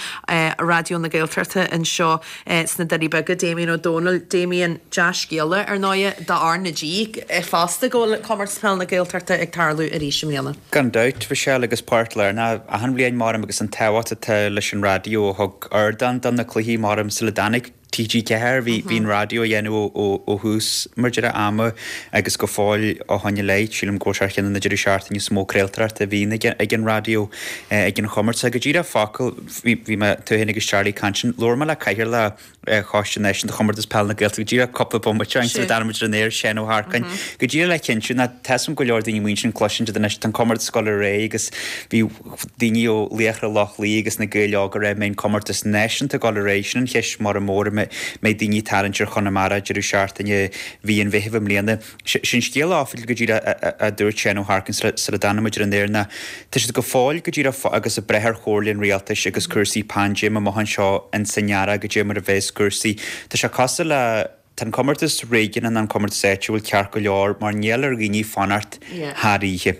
Raidió na Gaeltachta anseo sna Doirí Beaga, Damien Ó Dónaill. Damien, dea-scéala ar ndóighe do R na G fosta go bhfuil Comórtas Peile na Gaeltachta ag tarlú arís i mbliana. Gan dabht, Michelle, agus páirt lárnach achan bhliain maram agus an tábhacht atá leis an raidió a thug ardán do na cluichí maram sula dtáinig T G ceathair, bhí bhí an raidió á dhéanamh ó ó thús mar deireadh ama agus go fóill ó shoin i leith, sílim go bhfuil sé ar cheann de na deireadh seachtaine is mó craoltóireachta a bhíonn ag ag an raidió ag an chomórtas. Go díreach focal, bhí bhí mé, tú féin agus Charlie ag caint ansin, labhair mé le cathaoirleach Choiste Náisiúnta Chomórtas Peile na Gaeltachta go díreach cúpla bomaite ó shin sula dtáinig muid ar an aer, Seán Ó hEarcáin, go díreach le cinntiú ná tá 'fhios a'm go leor daoine muintir an cloiseann siad anois tá an comórtas ag dul ar aghaidh agus bhí daoine ó Laochra Loch Lao agus na Gaeil Óga ag rá an mbeidh an comórtas náisiúnta ag dul ar aghaidh, sin an cheist mhór mór an mbeidh daoine ag tarraingt ar Chonamara deireadh seachtaine mhí an Mheithimh i mbliana. Sin scéal oifigiúil go díreach a dúirt Seán Ó hEarcáin sula dtáinig muid ar an aer ná tá siad go fóill go díreach agus ag brath ar chomhairle an rialtais agus cúrsaí paindéime amach anseo ins an earrach goidé mar a bheas cúrsaí. Tá sé cosúil le, tá an comórtas réigiúnach nó an comórtas áitiúil ceart go leor mar níl ar dhaoine fanacht thar oíche.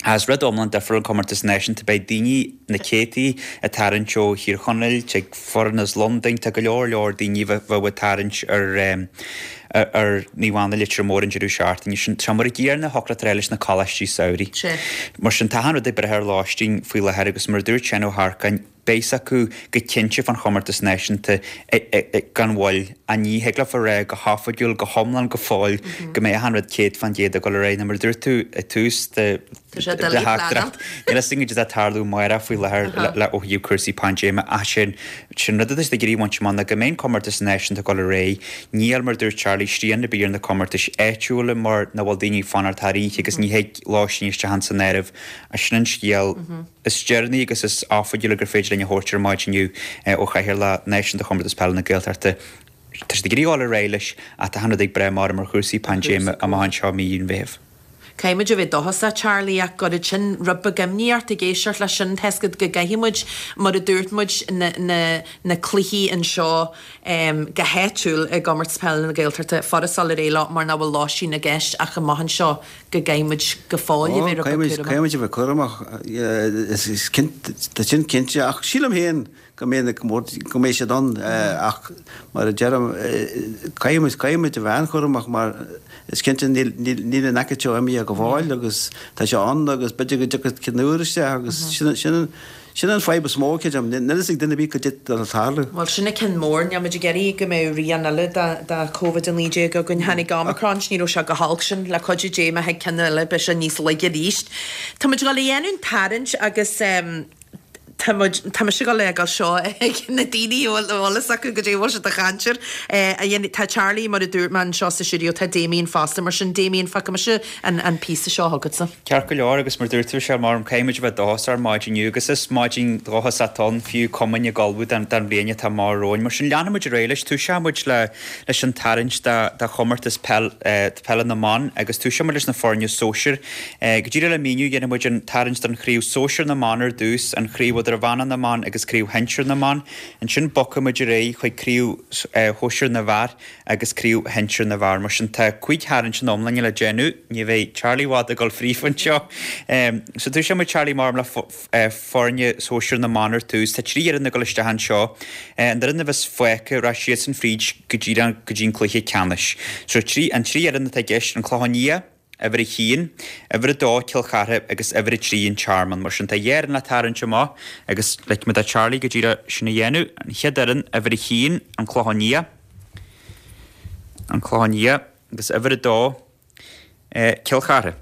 Is rud iomlán difriúil an comórtas náisiúnta, beidh daoine, na céadtaí, ag tarraingt ó Thír Chonaill, tig foireann as Londain, tá go leor leor daoine a bheadh ag tarraingt ar ar Naomh Anna Leitir Móir an deireadh seachtaine sin. Tá mar a gcéanna thiocfadh leat a rá leis na coláistí samhraidh. Mar sin tá achan rud ag brath ar lóistín faoi láthair agus mar a dúirt Seán Ó hEarcáin, Beidh 's acu go cinnte fán chomórtas náisiúnta gan mhoill, ach ní thig leofa a rá go hoifigiúil, go hiomlán go fóill go mbeidh achan rud céad fán gcéad ag dul ar aghaidh. Nó mar a dúirt tú ag tús do theachtaireacht, níl fhios againn goidé atá ag tarlú amárach faoi láthair le ó thaobh cúrsaí paindéime ach sin sin rud atá siad ag iarraidh a bhaint amach ná go mbeidh an comórtas náisiúnta ag dul ar aghaidh. Níl, mar a dúirt Charlie, srian ar bith ar na comórtais áitiúla mar nach bhfuil daoine ag fanacht thar oíche agus ní thig lóistín isteach ins an áireamh. Sin an scéal. Is deireanaí agus is oifigiúla gur féidir linn a thabhairt ar maidin inniu ó Chathaoirleach Náisiúnta Chomórtas Peile na Gaeltachta. Tá siad ag iarraidh dul ar aghaidh leis ach tá achan rud ag brath mar ar chúrsaí paindéime amach anseo i mí an Mheithimh. Caithfidh muid a bheith dóchasach, Charlie, ach gurb sin rud beag imní ort ag éisteacht leis sin, tá 'fhios agat go gcaithfidh muid, mar a dúirt muid, na, na, na cluichí anseo go háitiúil i gComórtas Peile na Gaeltachta, furast dul ar aghaidh leo mar nach bhfuil lóistín i gceist ach amach anseo go gcaithfidh muid go fóill a bheith rud beag cúramach. Caithfidh muid a bheith cúramach, tá sin cinnte, ach sílim féin go mbeidh na comórtais, go mbeidh siad ann ach mar a deirim, caithfidh muid, caithfidh muid a bheith an-chúramach mar is cinnte níl, níl, níl an aicíd seo imithe go fóill agus tá sé ann agus b'fhéidir go dtiocfaidh ceann úr isteach agus sin, sin, Sin an fadhb is mó, creidim. Níl a fhios ag duine ar bith cad é atá le tarlú. Bhuel, sin an ceann mór. Níl muid ag iarraidh go mbeadh rian eile de Covid a naoi déag againn. Tháinig Omicron, ní raibh sé go holc sin. Le cuidiú Dé, má thig ceann eile, beidh sé níos laige arís. Tá muid ag dul a dhéanamh an tarraingt agus tá muid, tá mise ag dul a fhágáil seo ag na daoine a bhfuil eolas acu goidé a bhfuil siad ag caint air. A dhéanamh, tá Charlie, mar a dúirt mé, anseo sa stiúideo, tá Damien fosta. Mar sin, Damien, fágfaidh mise an píosa seo chugatsa. Ceart go leor, agus mar dúirt tú, Michelle, maram, caithfidh muid a bheith dóchasach ar maidin inniu, agus is maidin dhóchasach atá ann, fiú cuma muid ag ullmhú don bhliain atá amach romhainn. Mar sin, leanfaidh muid ar aghaidh leis. Túiseoidh muid le leis an tarraingt do do chomórtas peil peile na mban, agus túiseoidh muid leis na foirne sóisir. Go díreach le míniú, dhéanfaidh muid an tarraingt don chraobh sóisir na mban ar dtús, an chraobh idirmheánach na mban agus craobh shinsir na mban. Ansin bogfaidh muid ar aghaidh chuig craobh shóisir na bhfear. agus craobh shinsir na bhfear. Mar sin, tá cúig tharraingt ina iomláine le déanamh. Ní bheidh Charlie i bhfad ag dul fríofa anseo. So túiseoidh muid, Charlie, maram, le foirne sóisir na mban ar tús. Tá trí fhoireann ag dul isteach anseo. An fhoireann a bheas fágtha, rachaidh siadsan fríd go díreach go dtí an cluiche ceannais. So trí, an trí fhoireann atá i gceist, An Clochán Liath, Uimhir a haon, Uimhir a dó, Cill Chartha, agus Uimhir a trí, An Tearmann. Mar sin, tá dhá fhoireann le tarraingt amach agus ligfidh mé do Charlie go díreach sin a dhéanamh. An chéad fhoireann, Uimhir a haon, An Clochán Liath, An Clochán Liath, agus Uimhir a dó, Cill Chartha.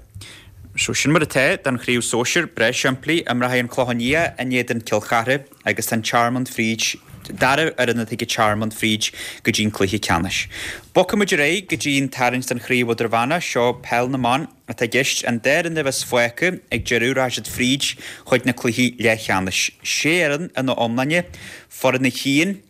So sin mar atá don chraobh sóisir, breá simplí, imreoidh An Clochán Liath in éadan Cill Chartha agus tá An Tearmann fríd dara fhoireann atá ag an Tearmann fríd go dtí an cluiche ceannais. Bogfaidh muid ar aghaidh go dtí an tarraingt don Chraobh Idirmheánach, seo Peil na mBan atá i gceist, an dá fhoireann a bheas fágtha ag deireadh rachaidh siad fríd chuig na cluichí leathcheannais. Sé fhoireann ina iomláine, foireann a haon,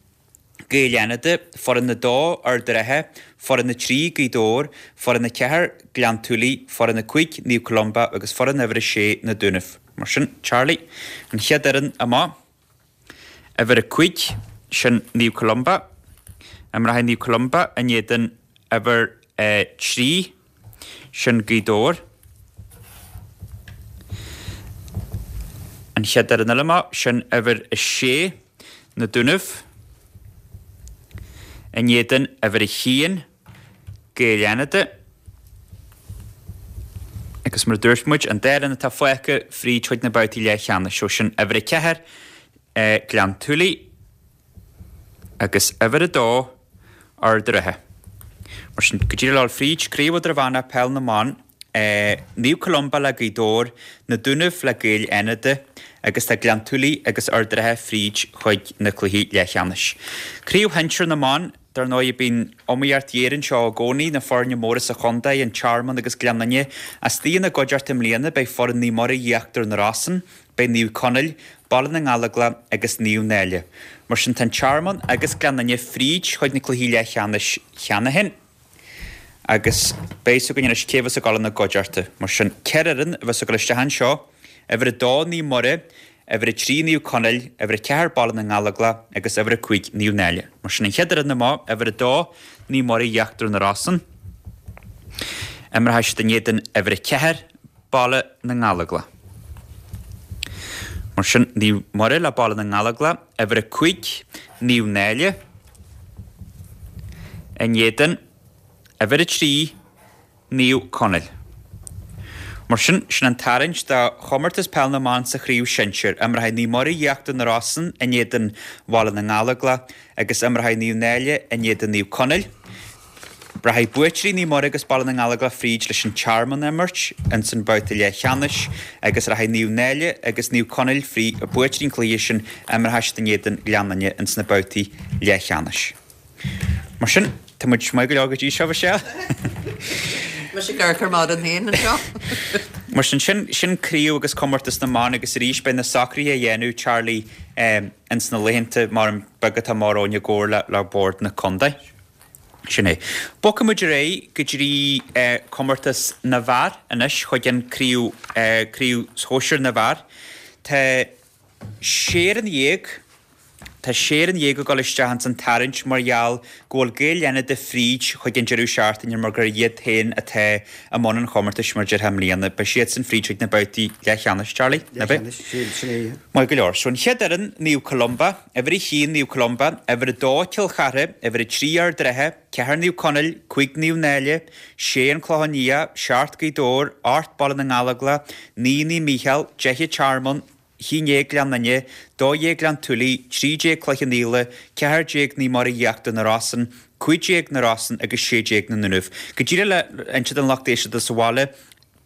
Gaeil Fhánada, foireann a dó, Ard an Rátha, foireann a trí, Gaoth Dobhair, foireann a ceathair, Gleann tSúilí, foireann a cúig, Naomh Columba agus foireann uimhir a sé, Na Dúnaibh. Mar sin, Charlie, an chéad fhoireann amach. Uimhir a cúig, sin Naomh Columba. Imreoidh Naomh Columba in éadan uimhir a trí, sin Gaoth Dobhair. An chéad fhoireann eile amach, sin uimhir a sé, Na Dúnaibh. In éadan uimhir a haon, Gaeil Fhánada. Agus mar a dúirt muid, an dá fhoireann atá fágtha fríd chuig na babhtaí leathcheannais, so sin uimhir a ceathair, Gleann tSúilí, agus uimhir a dó, Ard an Rátha. Mar sin, go díreach le dhul fríd, Craobh Idirmheánach Peil na mBan, Naomh Columba le Gaoth Dobhair, Na Dúnaibh le Gaeil Fhánada agus tá Gleann tSúilí agus Ard an Rátha fríd chuig na cluichí leathcheannais. Craobh Shinsir na mBan, Dar ndóigh, bíonn iomaíocht ghéar anseo i gcónaí, na foirne móra sa chontae, An Tearmann agus Gleann Fhinne. Istigh ina gcuideachta i mbliana beidh foireann Naomh Muire Íochtar na Rosann, beidh Naomh Conaill, Baile na nGallóglach agus Naomh Náille. Mar sin tá An Tearmann agus Gleann Fhinne fríd chuig na cluichí leathcheannais cheana féin agus beidh fhios againn anois cé a bheas ag dul ina gcuideachta. Mar sin, ceithre fhoireann a bheas ag dul isteach anseo, uimhir a dó Naomh Muire, Uimhir a trí Naomh Conaill, uimhir a ceathair Baile na nGallóglach agus uimhir a cúig Naomh Náille. Mar sin an chéad fhoireann amach, uimhir a dó Naomh Muire Íochtar na Rosann. Imreoidh siad in éadan uimhir a ceathair Baile na nGallóglach. Mar sin Naomh Muire le Baile na nGallóglach, uimhir a cúig Naomh Náille in éadan uimhir a trí Naomh Conaill. Mar sin, sin an tarraingt do chomórtas Peil na mBan sa chraobh shinsir. Imreoidh Naomh Muire Íochtar na Rosann in éadan Bhaile na nGallóglach agus imreoidh Naomh Náille in éadan Naomh Conaill. Rachaidh buaiteoirí Naomh Muire agus Baile na nGallóglach fríd leis an Tearmann a imirt ins an babhta leathcheannais agus rachaidh Naomh Náille agus Naomh Conaill fríd, buaiteoirí an chluiche sin, imreoidh siad in éadan Ghleann Fhinne ins na babhtaí leathcheannais. Mar sin, tá muid maith go leor go dtí seo, Michelle. Mise ag amharc ar m'amhrán féin anseo. Mar sin, sin, sin craobh agus comórtas na mban agus arís beidh na socruithe á dhéanamh, Charlie, ins na laethanta mar beaga atá amach romhainn i gcomhar le, le Bord na Contae. Sin é. Bogfaidh muid ar aghaidh go dtí comórtas na bhfear anois chuig an craobh, craobh shóisir na bhfear. Tá sé fhoireann dhéag. Tá sé fhoireann dhéag ag dul isteach ins an tarraingt mar gheall go bhfuil Gaeil Fhánada fríd chuig an deireadh seachtaine mar gur iad féin atá i mbun an chomórtais mar déarfá i mbliana. Beidh siadsan fríd chuig na babhtaí leathcheannais, Charlie, ná beidh? Leathcheannais, sin, sin é, yeah. Maith go leor. So an chéad fhoireann, Naomh Columba, uimhir a haon Naomh Columba, uimhir a dó Cill Chartha, uimhir a trí Ard an Rátha, ceathair Naomh Conaill, cúig Naomh Náille, sé An Clochán Liath, seacht Gaoth Dobhair, ocht Baile na nGallóglach, naoi Naomh Mícheál, deich An Tearmann, haon déag Gleann Fhinne, dó dhéag Gleann tSúilí, trí déag Cloich Cheann Fhaola, ceathair déag Naomh Muire Íochtar na Rosann, cúig déag Na Rosann agus sé déag Na Dúnaibh. Go díreach le inse don lucht éisteachta sa bhaile,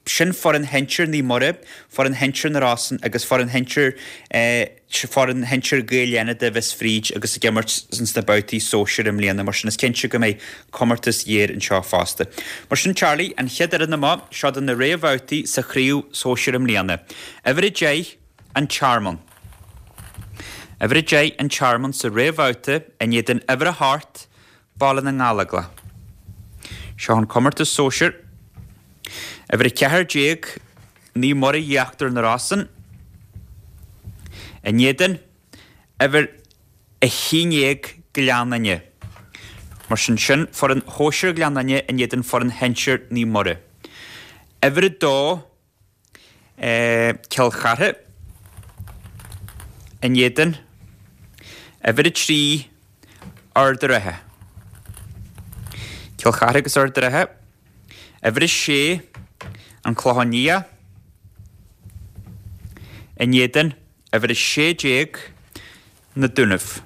sin foireann shinsir Naomh Muire, foireann shinsir Na Rosann agus foireann shinsir foireann shinsir Ghaeil Fhánada a bheas fríd agus ag imirt sna babhtaí sóisir i mbliana, mar sin is cinnte go mbeidh comórtas géar anseo fosta. Mar sin Charlie, an chéad fhoireann amach, seo do na réamhbhabhtaí sa chraobh sóisir i mbliana. Uimhir a deich, An Tearmann. Uimhir a deich, An Tearmann sa réamhbhabhta in éadan uimhir a hocht, Baile na nGallóglach. Seo an comórtas sóisir. Uimhir a ceathair déag, Naomh Muire Íochtar na Rosann in éadan uimhir a haon déag, Gleann Fhinne. Mar sin, sin foireann shóisir Ghleann Fhinne in éadan foireann shinsir Naomh Muire. Uimhir a dó, Cill Chartha in éadan uimhir a trí, Ard an Rátha. Cill Chartha agus Ard an Rátha. Uimhir a sé, An Clochán Liath in éadan uimhir a sé déag, Na Dúnaibh.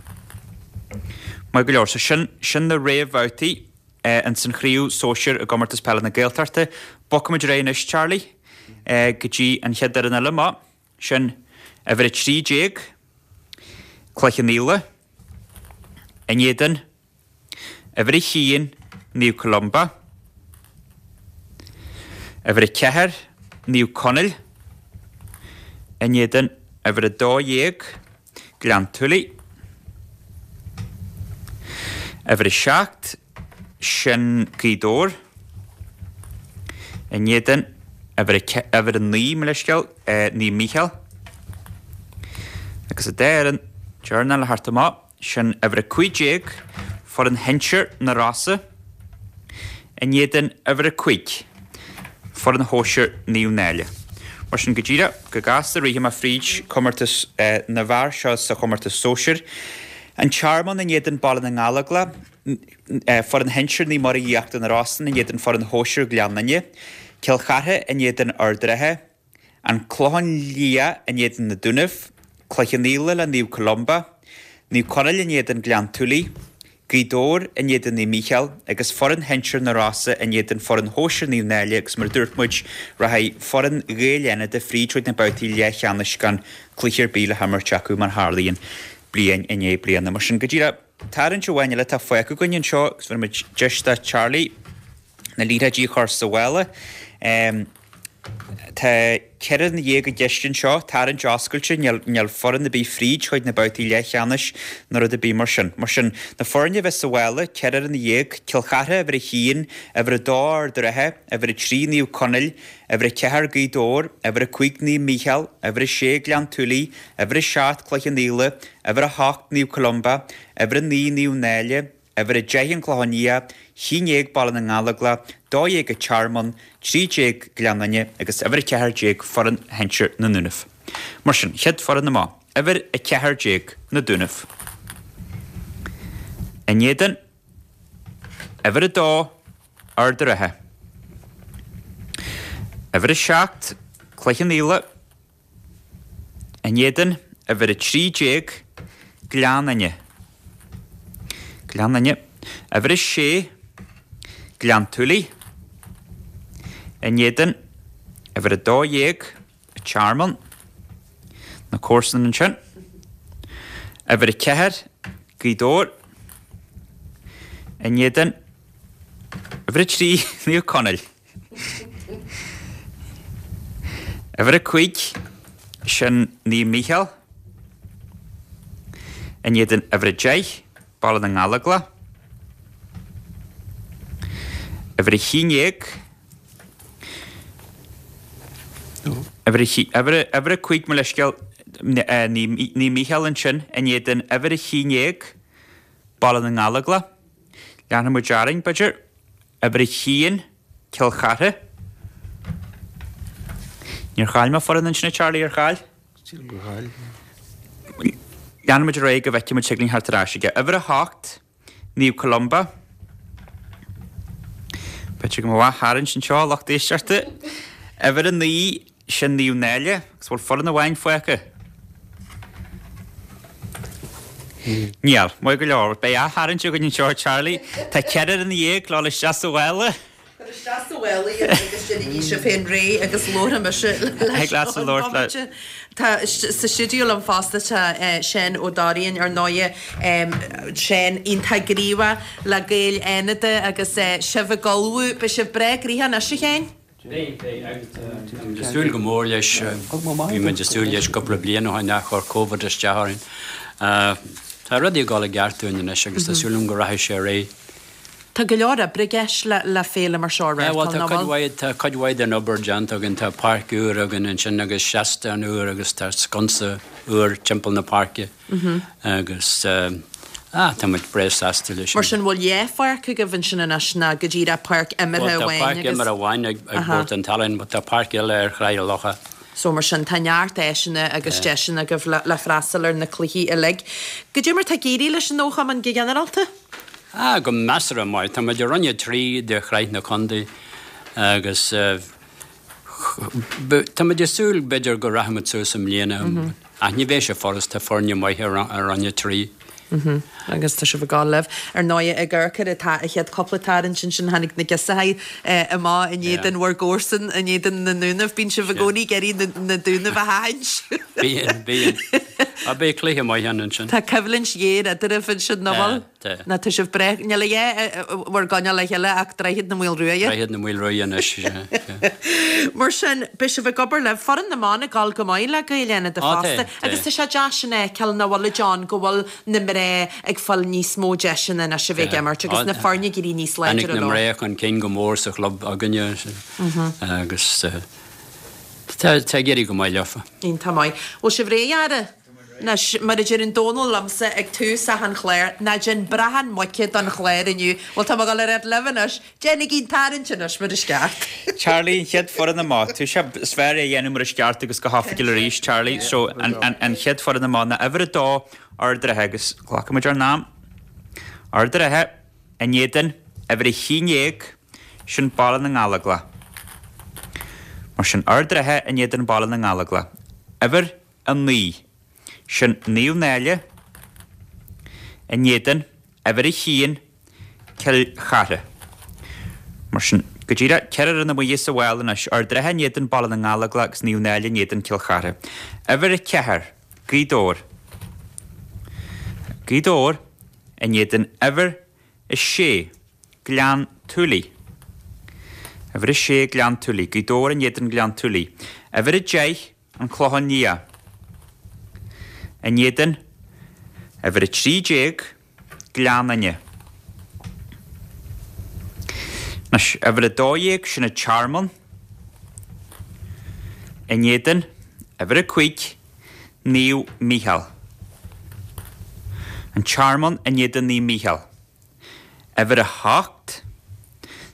Maith go leor, so sin, sin na réamhbhabhtaí ins an chraobh sóisir i gComórtas Peile na Gaeltachta. Bogfaimid ar aghaidh anois, Charlie, go dtí an chéad fhoireann eile amach, sin uimhir a trí déag, Cloich Cheann Fhaola, In éadan, uimhir a haon, Naomh Columba. Uimhir a ceathair, Naomh Conaill. In éadan, uimhir a dó dhéag, Gleann tSúilí. Uimhir a seacht, sin Gaoth Dobhair. In éadan, uimhir a naoi, mo leithscéal, Naomh Mícheál. Agus an dá fhoireann deireanach le theacht amach, sin uimhir a cúig déag, foireann shinsir na Rosa, in éadan uimhir a cúig, foireann shóisir Naomh Náille. Mar sin go díreach, go gasta rithfidh mé fríd comórtas na bhfear seo sa chomórtas sóisir. An Tearmann in éadan Baile na nGallóglach, foireann shinsir Naomh Muire Íochtar na Rosann in éadan foireann shóisir Ghleann Fhinne, Cill Chartha in éadan Ard an Rátha, An Clochán Liath in éadan na Dúnaibh, Cloich Cheann Fhaola le Naomh Columba, Naomh Conaill in éadan Gleann tSúilí, Gaoth Dobhair in éadan Naomh Mícheál agus foireann shinsir na Rosa in éadan foireann shóisir Naomh Náille agus mar a dúirt muid, rachaidh foireann Ghaeil Fhánada fríd chuig na babhtaí leathcheannais gan cluiche ar bith le himirt acu mar tharlaíonn bliain i ndiaidh bliana. Mar sin, go díreach, tarraingt amháin eile atá fágtha againn anseo agus bhéarfaidh muid deis do Charlie na liathróidí a chur sa mhála. Tá ceithre fhoireann dhéag i gceist anseo, tarraingt oscailte, níl, níl foireann ar bith fríd chuig na babhtaí leathcheannais nó rud ar bith mar sin. Mar sin, na foirne a bheas sa mhála, ceithre fhoireann dhéag, Cill Chartha uimhir a haon, uimhir a dó Ard an Rátha, uimhir a trí Naomh Conaill, uimhir a ceathair Gaoth Dobhair, uimhir a cúig Naomh Mícheál, uimhir a sé Gleann tSúilí, uimhir a seacht Cloich Cheann Fhaola, uimhir a hocht Naomh Columba, uimhir a naoi Naomh Náille, Uimhir a deich An Clochán Liath, haon déag Baile na nGallóglach, dó dhéag An Tearmann, trí déag Gleann Fhinne agus uimhir a ceathair déag foireann shinsir na nDúnaibh. Mar sin, chéad foireann amach, uimhir a ceathair déag na Dúnaibh. In éadan, uimhir a dó, Ard an Rátha. Uimhir a seacht, Cloich Cheann Fhaola. In éadan, uimhir a trí déag, Gleann Fhinne. Gleann Fhinne. Uimhir a sé, Gleann tSúilí. In éadan, uimhir a dó dhéag, An Tearmann. Na comharsana ansin. Uimhir a ceathair, Gaoth Dobhair. In éadan, uimhir a trí, Naomh Conaill. Uimhir a cúig, sin Naomh Mícheál. In éadan uimhir a deich, Baile na nGallóglach. Uimhir a haon déag, uimhir a, uimhir a cúig, mo leithscéal, Naomh Mícheál ansin, in éadan uimhir a haon déag, Baile na nGallóglach. Leanfaidh muid orainn, b'fhéidir. Uimhir a haon, Cill Chartha. Níor chaill mé foireann ansin, a Charlie, ar chaill? Sílim gur chaill. Leanfaidh muid ar aghaidh go bhfeicfidh muid thig linn theacht ar ais aige. Uimhir a hocht, Naomh Columba. B'fhéidir go mbeadh ath-tharraingt anseo, a lucht éisteachta. Uimhir a naoi, sin Naomh Náille, agus bhfuil foireann amháin fágtha? Níl. Maith go leor. Beidh ath-tharraingt againn anseo, a Charlie. Tá ceithre fhoireann dhéag le dul isteach sa mhála. Cuir isteach sa mhála iad agus déanaigí sibh féin réidh agus labharfaidh mise leis an bomaite. Tá sa stiúideo liom fosta tá Seán Ó Dairín ar ndóighe, Seán iontach gníomhach le Gaeil Fhánada agus sibh ag ullmhú. Beidh sibh breá gnoitheach anois a Sheáin? Beidh, beidh, agus tá muid ag súil go mór leis. Bhí muid ag súil leis cúpla bliain ó shin ach chuir Covid isteach orainn. Tá rudaí ag dul i gceart dúinn anois agus tá súil agam go rachaidh sé ar aghaidh. Tá go leor oibre i gceist le féile mar seo a reáchtáil, nach bhfuil? Bhuel, tá cuid mhaith den obair déanta againn. Tá páirc úr againn ansin agus seastán úr agus tá sconsa úr timpeall na páirce. Agus ah, tá muid breá sásta leis sin. Mar sin, bhfuil dhá pháirc agaibh ansin anois nó go díreach páirc imeartha amháin agus. Bhuel, tá páirc imeartha amháin ag Bord an tSalainn, but tá páirc eile ar Thráigh a' Locha. So mar sin, tá neart áiseanna agus deiseanna agaibh le freastal ar na cluichí uilig. Goidé mar tá ag éirí leis an fhochumann go ginearálta? Ah, go measartha maith. Tá muid i Roinn a trí de Shraith na Contae agus Tá muid ag súil, b'fhéidir, go rachaidh muid suas i mbliana, ach ní bheidh sé furast, tá foirne maithe i Roinn a trí. Agus tá sibh ag gabháil libh. Ar ndóighe, ag amharc ar an chéad cúpla tarraingt ansin, tháinig na girseachaí amach in éadan bhur gcomharsan, in éadan na nDúnaibh. Bíonn sibh i gcónaí ag iarraidh na Dúnaibh a thathaint. Bíonn, bíonn. Ah, beidh cluiche maith ann ansin. Tá coimhlint ghéar eadraibh ansin, nach bhfuil? Tá, tá. Ná tá sibh breá, níl a dhath bhur gcoinneáil le chéile ach Droichead na Maolruaidhe. Droichead na Maolruaidhe anois, sea, sea. Mar sin, beidh sibh ag obair libh. Foireann na mban ag dul go maith le Gaeil Fhánada Á, tá, fosta. tá. Agus tá sé deas sin a fheiceáil nach bhfuil, a John, go bhfuil na mná ag fáil níos mó deiseanna anois a bheith ag Tá. imirt agus Á, na foirne ag éirí níos Tháinig láidre na leo. mná chun cinn go mór sa chlub againne agus tá tá ag éirí go maith leofa. Iontach maith. Bhfuil sibh réidh, a fheara? Anois, mar a deireann Dónal liomsa ag tús achan chláir, ná déan brachán muice don chlár inniu. Bhuel, tá mé ag dul a rá libh anois, déanaigí an tarraingt anois mar is ceart. Charlie, an chéad foireann amach. Tú sé is fearr é a dhéanamh mar is ceart agus go hoifigiúil arís, Charlie. So, an, an, an chéad foireann amach ná uimhir a dó Ard an Rátha agus glacfaimid ár n-am. Ard an Rátha, in éadan, uimhir a haon déag, sin Baile na nGallóglach. Mar sin Ard an Rátha in éadan Baile na nGallóglach. Uimhir a naoi, sin Naomh Náille, in éadan, uimhir a haon, Cill Chartha. Mar sin, go díreach, ceithre fhoireann amuigh as an bhfál anois, Ard an Rátha in éadan Baile na nGallóglach agus Naomh Náille in éadan Cill Chartha. Uimhir a ceathair, Gaoth Dobhair. Gaoth Dobhair in éadan uimhir a sé, Gleann tSúilí. Uimhir a sé, Gleann tSúilí. Gaoth Dobhair in éadan Gleann tSúilí. Uimhir a deich, An Clochán Liath. In éadan uimhir a trí déag, Gleann Fhinne. Anois, uimhir a dó dhéag, sin an Tearmann. In éadan uimhir a cúig, Naomh Mícheál. An Tearmann in éadan Naomh Mícheál. Uimhir a hocht,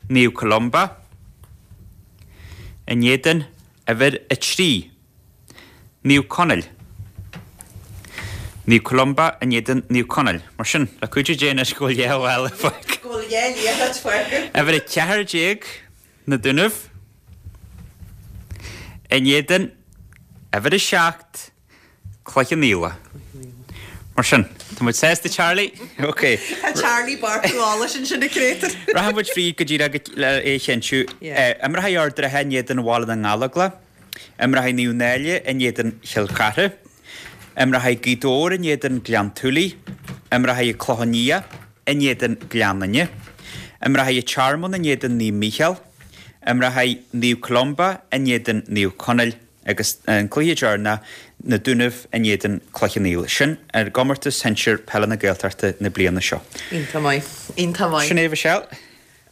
Naomh Columba. In éadan uimhir a trí, Naomh Conaill. Naomh Columba in éadan Naomh Conaill. Mar sin, le cuidiú Dé anois go bhfuil dhá bhála fágtha. Go bhfuil dhá liathróid fágtha. Uimhir a ceathair déag, Na Dúnaibh. In éadan uimhir a seacht, Cloich Cheann Fhaola. Mar sin, tá muid sásta Charlie? Ok. Tá Charlie ag beartú eolais ansin a créatúir. Rachaidh muid fríd go díreach le é a chinntiú. Imreoidh Ard an Rátha in éadan Bhaile na nGallóglach. Imreoidh Naomh Náille in éadan Chill Chartha. Imreoidh Gaoth Dobhair in éadan Gleann tSúilí. Imreoidh Clochán Liath in éadan Gleann Fhinne. Imreoidh Tearmann in éadan Naomh Mícheál. Imreoidh Naomh Columba in éadan Naomh Conaill agus an cluiche deireanach, Na Dúnaibh in éadan Cloich Cheann Fhaola. Sin ar gcomórtas shinsir peile na Gaeltachta na bliana seo. Iontach maith. Iontach maith. Sin é, Michelle.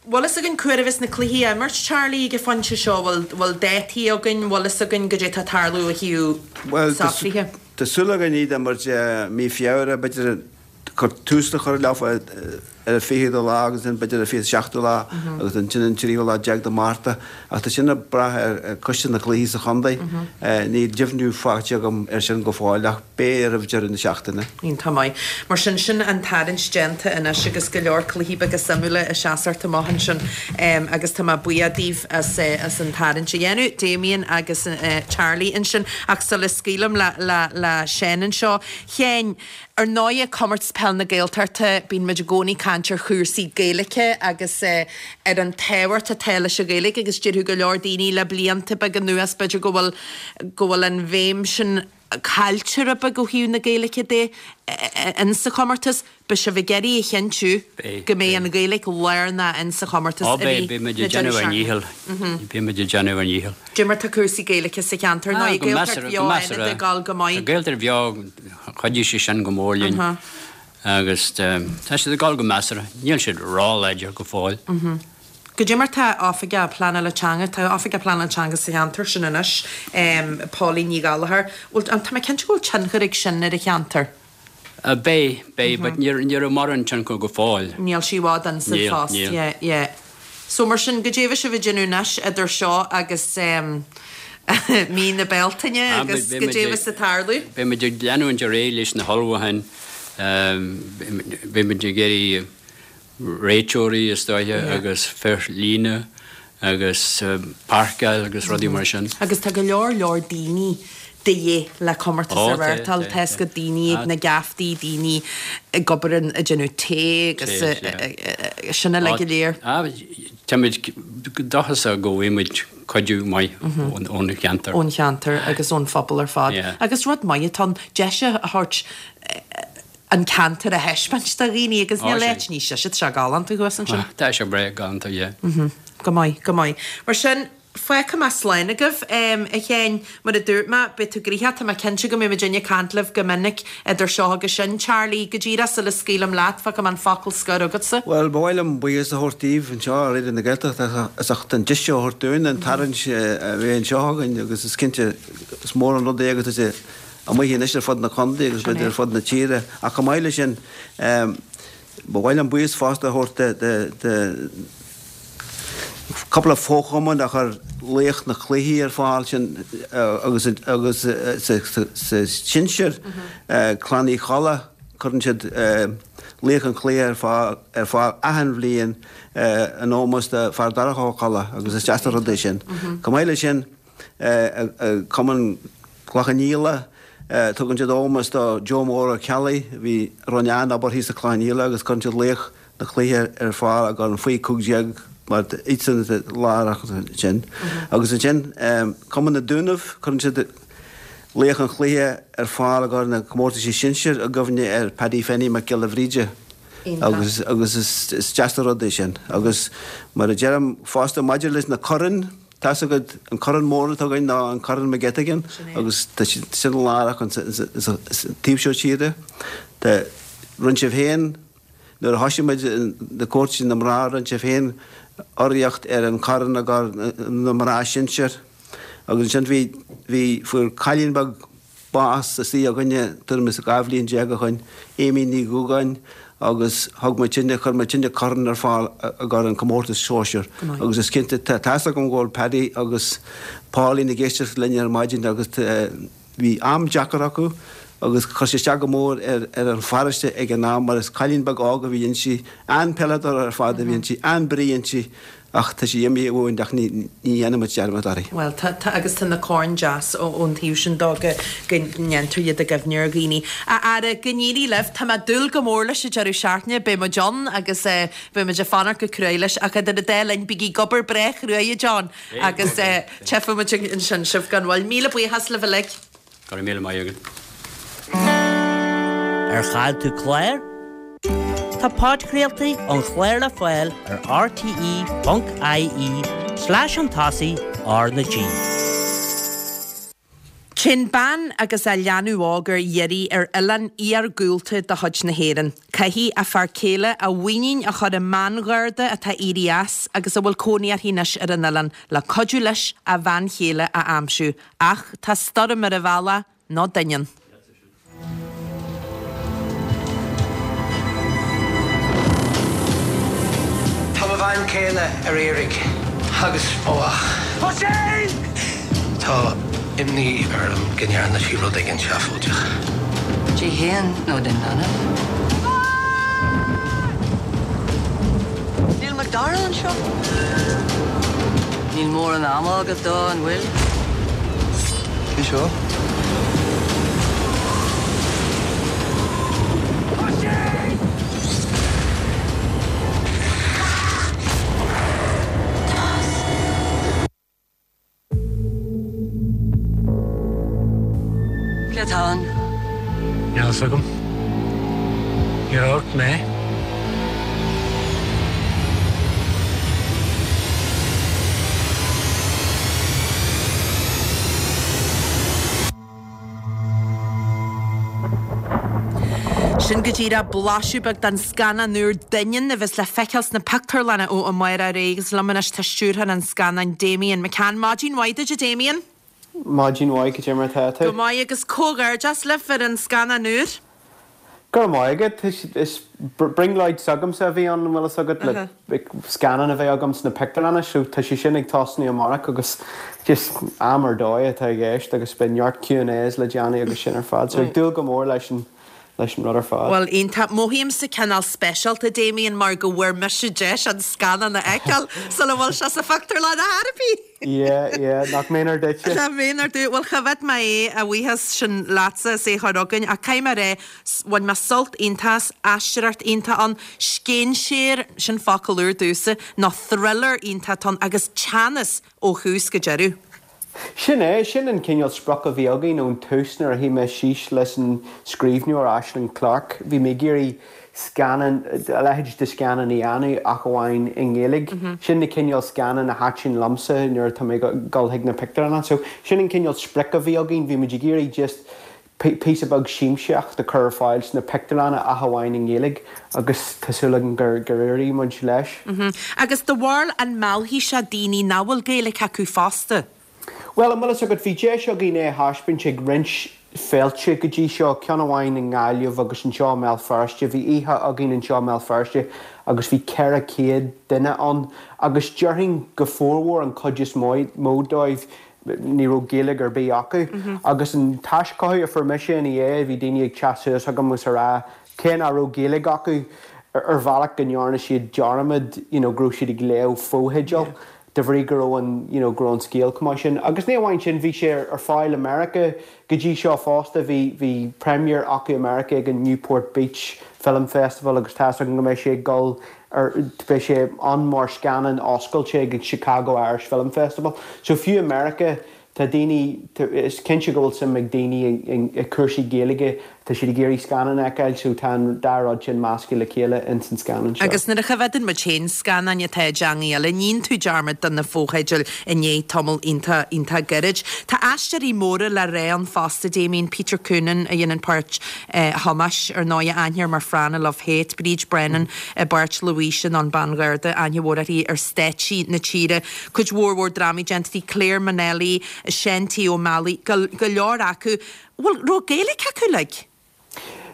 Bhfuil fhios againn cá huair a bheas na cluichí á imirt, Charlie, ag an phointe seo? Bhfuil, bhfuil dátaí againn? Bhfuil fhios againn goidé tá ag tarlú ó thaobh socruithe? Tá súil againn iad a imirt i mí Feabhra, b'fhéidir cur tús le chur leo ar an fichiú lá agus ansin b'fhéidir an fiche seachtú lá agus ansin an tríú lá déag de Márta. Ach tá sin ag brath ar choiste na gcluichí sa chontae. Níl deimhniú faighte agam ar sin go fóill ach beidh roimh deireadh na seachtaine. Iontach maith. Mar sin, sin an tarraingt déanta anois agus go leor cluichí beaga suimiúla ag seasacht amach ansin agus tá mé buíoch daoibh as as an tarraingt a dhéanamh, Damien agus Charlie ansin. Ach sula scaoilim le le le Seán anseo, Sheáin, ar ndóighe Comórtas Peil na Gaeltachta, bíonn muid i gcónaí ag caint ar chúrsaí Gaeilge agus ar an tábhacht atá leis an Ghaeilge agus déarfadh go leor daoine le blianta beaga anuas b'fhéidir go bhfuil go bhfuil an bhéim sin caillte rud beag ó thaobh na Gaeilge de in sa chomórtas. Beidh sibh ag iarraidh a chinntiú go mbeidh an Ghaeilge lárnach in sa chomórtas Ó beidh, beidh muid ag déanamh ár ndícheall. Beidh muid ag déanamh ár ndícheall. Cad é mar tá cúrsaí Gaeilge sa cheantar nó Ah, go Gaeltacht measartha, bheo go Fhánada measartha. ag dul go maith? Tá Gaeltacht bheo, chuidigh sé sin go mór linn agus tá siad ag dul go measartha. Níl siad róláidir go fóill. Cad é mar tá Oifigeach Pleanála Teanga, tá Oifigeach Pleanála Teanga sa cheantar sin anois, Pauline Ní Ghallchóir. Bhfuil, tá mé cinnte go bhfuil tionchar ag sin ar an cheantar. Beidh, beidh, but ní ní raibh mórán tionchar go fóill. Níl sí i bhfad in sa Níl, phost, níl. yeah, yeah. So mar sin, goidé a bheidh sibh ag déanamh anois idir seo agus mí na Bealtaine Ah, agus beidh muid goidé ag- bheas ag tarlú? Beidh muid ag leanúint ar aghaidh leis na hullmhúcháin, beidh muid ag iarraidh réiteoirí is dóiche agus fir líne agus páirceáil agus rudaí mar sin. Agus tá go leor leor daoine de dhíth le comórtas Ó, a tá, reáchtáil, tá, tá tá. go daoine ag na geaftaí, daoine ag obair in ag déanamh tae agus Tae, sin uilig go léir. Ah, Táimid dóchasach go bhfaighidh muid cuidiú maith ón cheantar. Ón cheantar agus ón phobal ar fad. Agus rud maith atá ann, deis a thabhairt an ceantar a thaispeáint do dhaoine agus níl áit níos deise, tá sé galánta thuas ansin. Tá sé breá galánta, yeah. Go maith, go maith. Mar sin, fágfaidh mé slán agaibh, a Sheáin. Mar a dúirt mé, beidh tú gnoitheach, tá mé cinnte go mbeidh muidinne ag caint libh go minic idir seo agus sin. Charlie, go díreach sula scaoilim leat, fágfaidh mé an focal scoir agatsa. Bhuel, ba mhaith liom buíochas a thabhairt daoibh anseo ar Raidió na Gaeltachta as ucht an deis seo a thabhairt dúinn, an tarraingt a bheith anseo againn agus is cinnte is mór an rud é agus tá sé amuigh anois ar fud na contae agus b'fhéidir ar fud na tíre. Ach chomh maith leis sin, ba mhaith liom buíochas fosta a thabhairt do cúpla fochumann a chuir laoch na cluichí ar fáil sin agus agus sa sinsir, Clann Uí Cholla, cuireann siad laoch an chluiche ar fáil ar fáil achan bhliain in ómós do Fear Darach Ó Colla agus is deas an rud é sin. Chomh maith leis sin, Cumann Chloich Cheann Fhaola, tugann siad ómós do Joe Mór Ó Ceallaigh a bhí a rinne an-obair thíos i Cloich Cheann Fhaola agus cuireann siad laoch na cluiche ar fáil i gcomhair an faoi cúig déag mar iadsan atá lárnach ansin. Agus ansin Cumann na Dúnaibh, cuireann siad laoch an chluiche ar fáil i gcomhair na comórtaisí sinsir i gcuimhne ar Paddy Fenny Mac Giolla Bhríde. Agus agus is deas an rud é sin. Agus mar a deirim fosta maidir leis na coirn, tá's agat an corn mór atá againn ná an Corn McGettigan agus tá sin lárnach sa taobh seo tíre. Tá rinne sibh féin Nuair a thosaigh muid na comórtaisí na mná rinne sibh féin urraíocht ar an chorn i gcomhair na mná sinsir agus ansin bhí, bhí, fuair cailín beag bás istigh againne tuairim is dhá bhliain déag ó shoin, Amy Ní Dhúgáin agus thug muidinne, chuir muidinne corn ar fáil i gcomhair an comórtas sóisir agus is cinnte, tá, tá's agam go bhfuil Paddy agus Pauline ag éisteacht linn ar maidin agus Bhí am deacair acu agus chuir sé isteach go mór ar an pharóiste ag an am mar is cailín beag óg a bhí inti, an-peileadóir ar fad a bhí inti, an-brí inti ach tá sí imithe uainn ach ní dhéanfaidh muid dearmad uirthi. Bhuel tá, tá agus tá na coirn deas ón taobh sin dó go ndéantar iad i gcuimhne ar dhaoine. A fheara, go n-éirí libh, tá mé ag dúil go mór leis an deireadh seachtaine, beidh muid ann agus beidh muid ag fanacht go cruaidh leis ach idir an dá linn bígí ag obair breá chruaidh a John agus tchífidh muid ansin sibh gan mhoill. Míle buíochas libh uilig. Go raibh míle maith agat. Ar chaill tú clár? Tá podchraoltaí an chláir le fáil ar rte ponc ie slash chun tosaigh R na G. Téann bean agus a leanbh óg ar iarraidh ar oileán iargúlta de chuid na hÉireann. Caithfidh a fear céile a mhuinín a chur i mBangharda atá éirithe as agus a bhfuil cónaí uirthi anois ar an oileán le cuidiú leis a bhean chéile a aimsiú. Ach tá stoirm ar a bhealach, nó doineann. Tá mo bhean chéile ar iarraidh agus ó Oisín! Tá imní orm go ndearna sí rud éigin seafóideach. Di féin nó don leanbh? Níl Macdara anseo? Níl mórán ama agat dó, an bhfuil? Cé seo? Cé atá ann? Níl a fhios agam. Níor amharc mé. Sin go díreach blaiseadh beag den scannán úr Doineann a bheas le feiceáil sna pictiúrlanna ó amárach ar aghaidh agus liom anois tá stiúrthóir an scannáin Damian McCann. Maidin mhaith duit a Damian. Maidin mhaith, cad é mar atá tú? Go maith agus comhghairdeas libh ar an scannán úr. Go raibh maith agat. Is brionglóid s'agamsa a bhí ann, an bhfuil fhios agat, le scannán a bheith agam sna pictiúrlanna, so tá sé sin ag tosnú amárach agus just am ar dóigh atá i gceist agus beidh neart Q and A's le déanamh agus sin ar fad. So ag dúil go mór leis an leis an rud ar fad. Bhuel, iontach. Mothaímse cineál speisialta, Damien, mar go bhfuair mise deis an scannán a fheiceáil sula bhfuil sé sa phictiúrlann ar chor ar bith. Yeah, yeah, nach méanar duitse. Nach méanar duit. Bhuel, choimhéad mé é, a bhuíochas sin leatsa as é a chur chugainn, ach caithfidh mé a rá, bhain mé sult iontach as, aisteoireacht iontach ann, scéinséir, sin focal úr domhsa, nó thriller iontach ann agus teannas ó thús go deireadh. Sin é, sin an cineál sprioc a bhí againn ón tús nuair a shuigh mé síos leis an scríbhneoir Aislinn Clarke. Bhí mé ag iarraidh scannán, a leithéid de scannán a dhéanamh ach amháin i nGaeilge. Sin na cineál scannán a thaitin liomsa nuair atá mé ag dul chuig na pictiúrlanna. So sin an cineál sprioc a bhí againn, bhí muid ag iarraidh just píosa beag siamsaíocht a chur ar fáil sna pictiúrlanna ach amháin i nGaeilge agus tá súil agam gur gur éirigh muid leis. Agus do bharúil an meallfaidh sé daoine nach bhfuil Gaeilge acu fosta? Bhuel, an bhfuil fhios agat, bhí deis againn é a thaispeáint ag roinnt féilte go dtí seo, ceann amháin i nGaillimh agus anseo i mBéal Feirste. Bhí oíche againn anseo i mBéal Feirste agus bhí ceithre chéad duine ann agus déarfainn go formhór, an chuid is mó dóibh, ní raibh Gaeilge ar bith acu. Agus an t-aischothú a fuair mise ina dhiaidh, bhí daoine ag teacht suas chugam agus a rá cé nach raibh Gaeilge acu, ar bhealach go ndearna siad dearmad you know go raibh siad ag léamh fotheidil de bhrí go raibh an you know go raibh an scéal chomh maith sin. Agus ní amháin sin, bhí sé ar fáil i Meiriceá go dtí seo fosta, bhí bhí premiere acu i Meiriceá ag an Newport Beach Film Festival agus tá's agam go mbeidh sé ag dul ar beidh sé ann mar scannán oscailte ag an Chicago Irish Film Festival. So fiú i Meiriceá tá daoine, is cinnte go bhfuil suim ag daoine i gcúrsaí Gaeilge, tá siad ag iarraidh scannán a fheiceáil so tá an dá rud sin measctha le chéile ins an scannán seo. Agus nuair a choimhéadann muid féin scannáin atá i dteangaí eile, níonn tú dearmad de na fotheidil i ndiaidh tamall iontach, iontach gairid. Tá aisteoirí móra le rá ann fosta, Damien, Peter Coonan a dhéanann páirt Thomáis, ar ndóigh, aithne air mar Fran i Love Hate, Bríd Brennan i bpáirt Louise nó an Bean Gharda, aithne mhór uirthi ar stáitsí na tíre. Cuid mhór mhór drámaí déanta aici, Clare Monnelly, Seán T. Ó Meallaigh, go go leor acu. Bhfuil raibh Gaeilge acu uilig?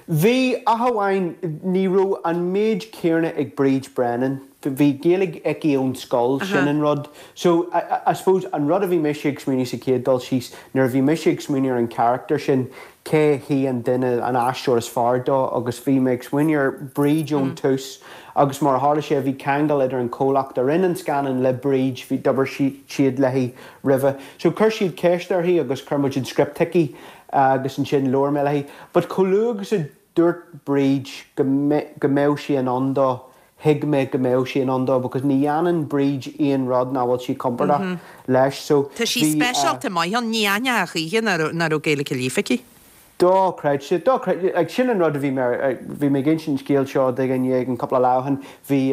Bhí, ach amháin ní raibh an méid céanna ag Bríd Brennan. Bhí Gaeilge aici ón scoil, sin an rud. So, I, I suppose, an rud a bhí mise ag smaoineamh sa chéad dul síos, nuair a bhí mise ag smaoineamh ar an charachtar sin, cé hí an duine, an aisteoir is fearr dó agus bhí mé ag smaoineamh ar Bríd ón tús agus mar a tharla sé bhí ceangal idir an comhlacht a rinne an scannán le Bríd, bhí d'obair siad léi roimhe. So chuir siad ceist uirthi agus chuir muid an script chuici agus ansin labhair mé léi. But chomh luath agus a dúirt Bríd go go mbeadh sí in ann dó, thuig mé go mbeadh sí in ann dó because ní dhéanann Bríd aon rud nach bhfuil sí compordach leis. So Tá sí speisialta maith ann, ní aithneofá choíche nach raibh Gaeilge líofa aici. Dochreidte, dochreidte, like sin an rud a bhí mé, bhí mé ag insint an scéal seo do dhuine éigin cúpla lá ó shin, bhí,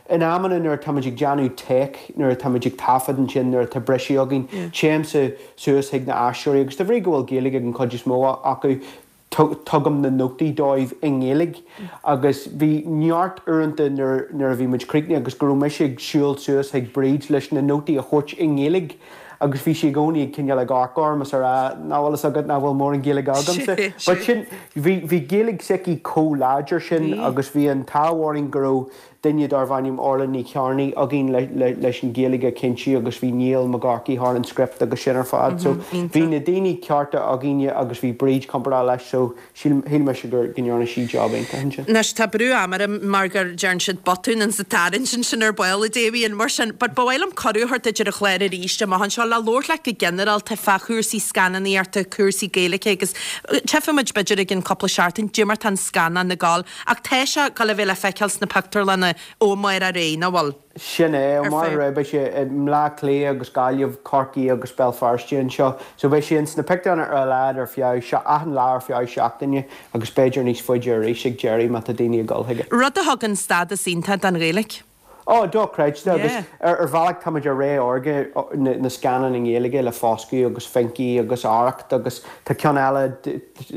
in amanna nuair atá muid ag déanamh take, nuair atá muid ag taifead ansin, nuair atá briseadh againn, téimse suas chuig na aisteoirí agus de bhrí go bhfuil Gaeilge ag an chuid is mó acu, tugaim na nótaí dóibh i nGaeilge agus bhí neart uaireanta nuair nuair a bhí muid críochnaithe agus go raibh mise ag siúl suas chuig Bríd leis na nótaí a thabhairt i nGaeilge agus bhí sí i gcónaí ag cineál ag amharc orm is a rá nach bhfuil fhios agat nach bhfuil mórán Gaeilge agamsa. But sin, bhí bhí Gaeilge s'aici chomh láidir sin agus bhí an t-ádh orainn go raibh duine darbh ainm Orla Ní Chearnaigh againn le le leis an Ghaeilge a chinntiú agus bhí Niall Mac Eachmharcaigh thar an script agus sin ar fad. So bhí na daoine cearta againne agus bhí Bríd compordach leis so shíl shíl mise gur go ndearna sí job iontach ansin. Anois tá brú ama orm mar gur deireann siad botún insa tarraingt ansin ar ball a Damien mar sin but ba mhaith liom cuireadh a thabhairt duit ar an chlár arís amach anseo le labhairt leat go ginearálta fá chúrsaí scannánaíochta, cúrsaí Gaeilge agus tchífidh muid b'fhéidir i gcionn cúpla seachtain cad é mar tá an scannán ag gabháil ach tá sé ag gabháil a bheith le feiceáil sna pictiúrlanna ó amárach ar aghaidh, nach bhfuil? Sin é, ó amárach ar aghaidh beidh sé i mBleá Cliath agus Gaillimh, Corcaigh agus Béal Feirste anseo. So beidh sé ins na pictiúrlanna ar a laghad ar feadh, achan lá ar feadh seachtaine agus b'fhéidir níos faide arís ag deireadh má tá daoine ag dul chuige. Rud a thugann stádas iontach don Ghaeilge. Ó, dochreidte agus ar bhealach táimid i ré órga na scannán i nGaeilge le Foscadh agus Finky agus Arracht agus tá ceann eile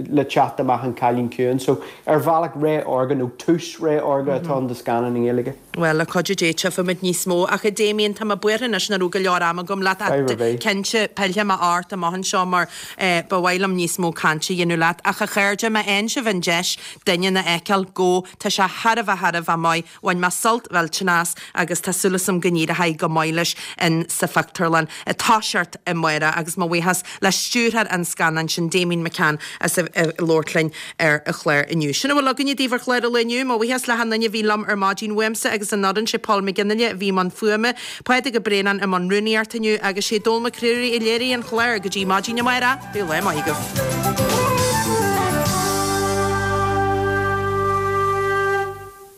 le teacht amach An Cailín Ciúin so ar bhealach ré órga nó tús ré órga atá ann do scannáin i nGaeilge. Bhuel, le cuidiú Dé tchífimid níos mó. Ach a Damien, tá mé buartha anois nach raibh go leor ama agam leat ach cinnte pillfidh mé ort amach anseo mar ba mhaith liom níos mó cainte a dhéanamh leat. Ach a chairde, má fhaigheann sibh an deis Doineann a fheiceáil, go, tá sé thar a bheith thar a bheith maith. Bhain mé sult, bhuel, teannas, agus tá súil agam go n-éireoidh go maith leis in sa phictiúrlann ag toiseacht amárach agus mo bhuíochas le stiúrthóir an scannáin sin Damien McCann as a labhairt linn ar an chlár inniu. Sin a bhfuil againne daoibh ar chlár an lae inniu, mo bhuíochas le hachan duine a bhí liom ar maidin uaimse agus an fhoireann sé Paul McGinley a bhí i mbun fuaime, Pádraig Ó Braonáin i mbun rúnaíochta inniu agus sé Dónall Mac Ruairí a léirigh an clár go dtí maidin amárach, bíodh lá maith agaibh.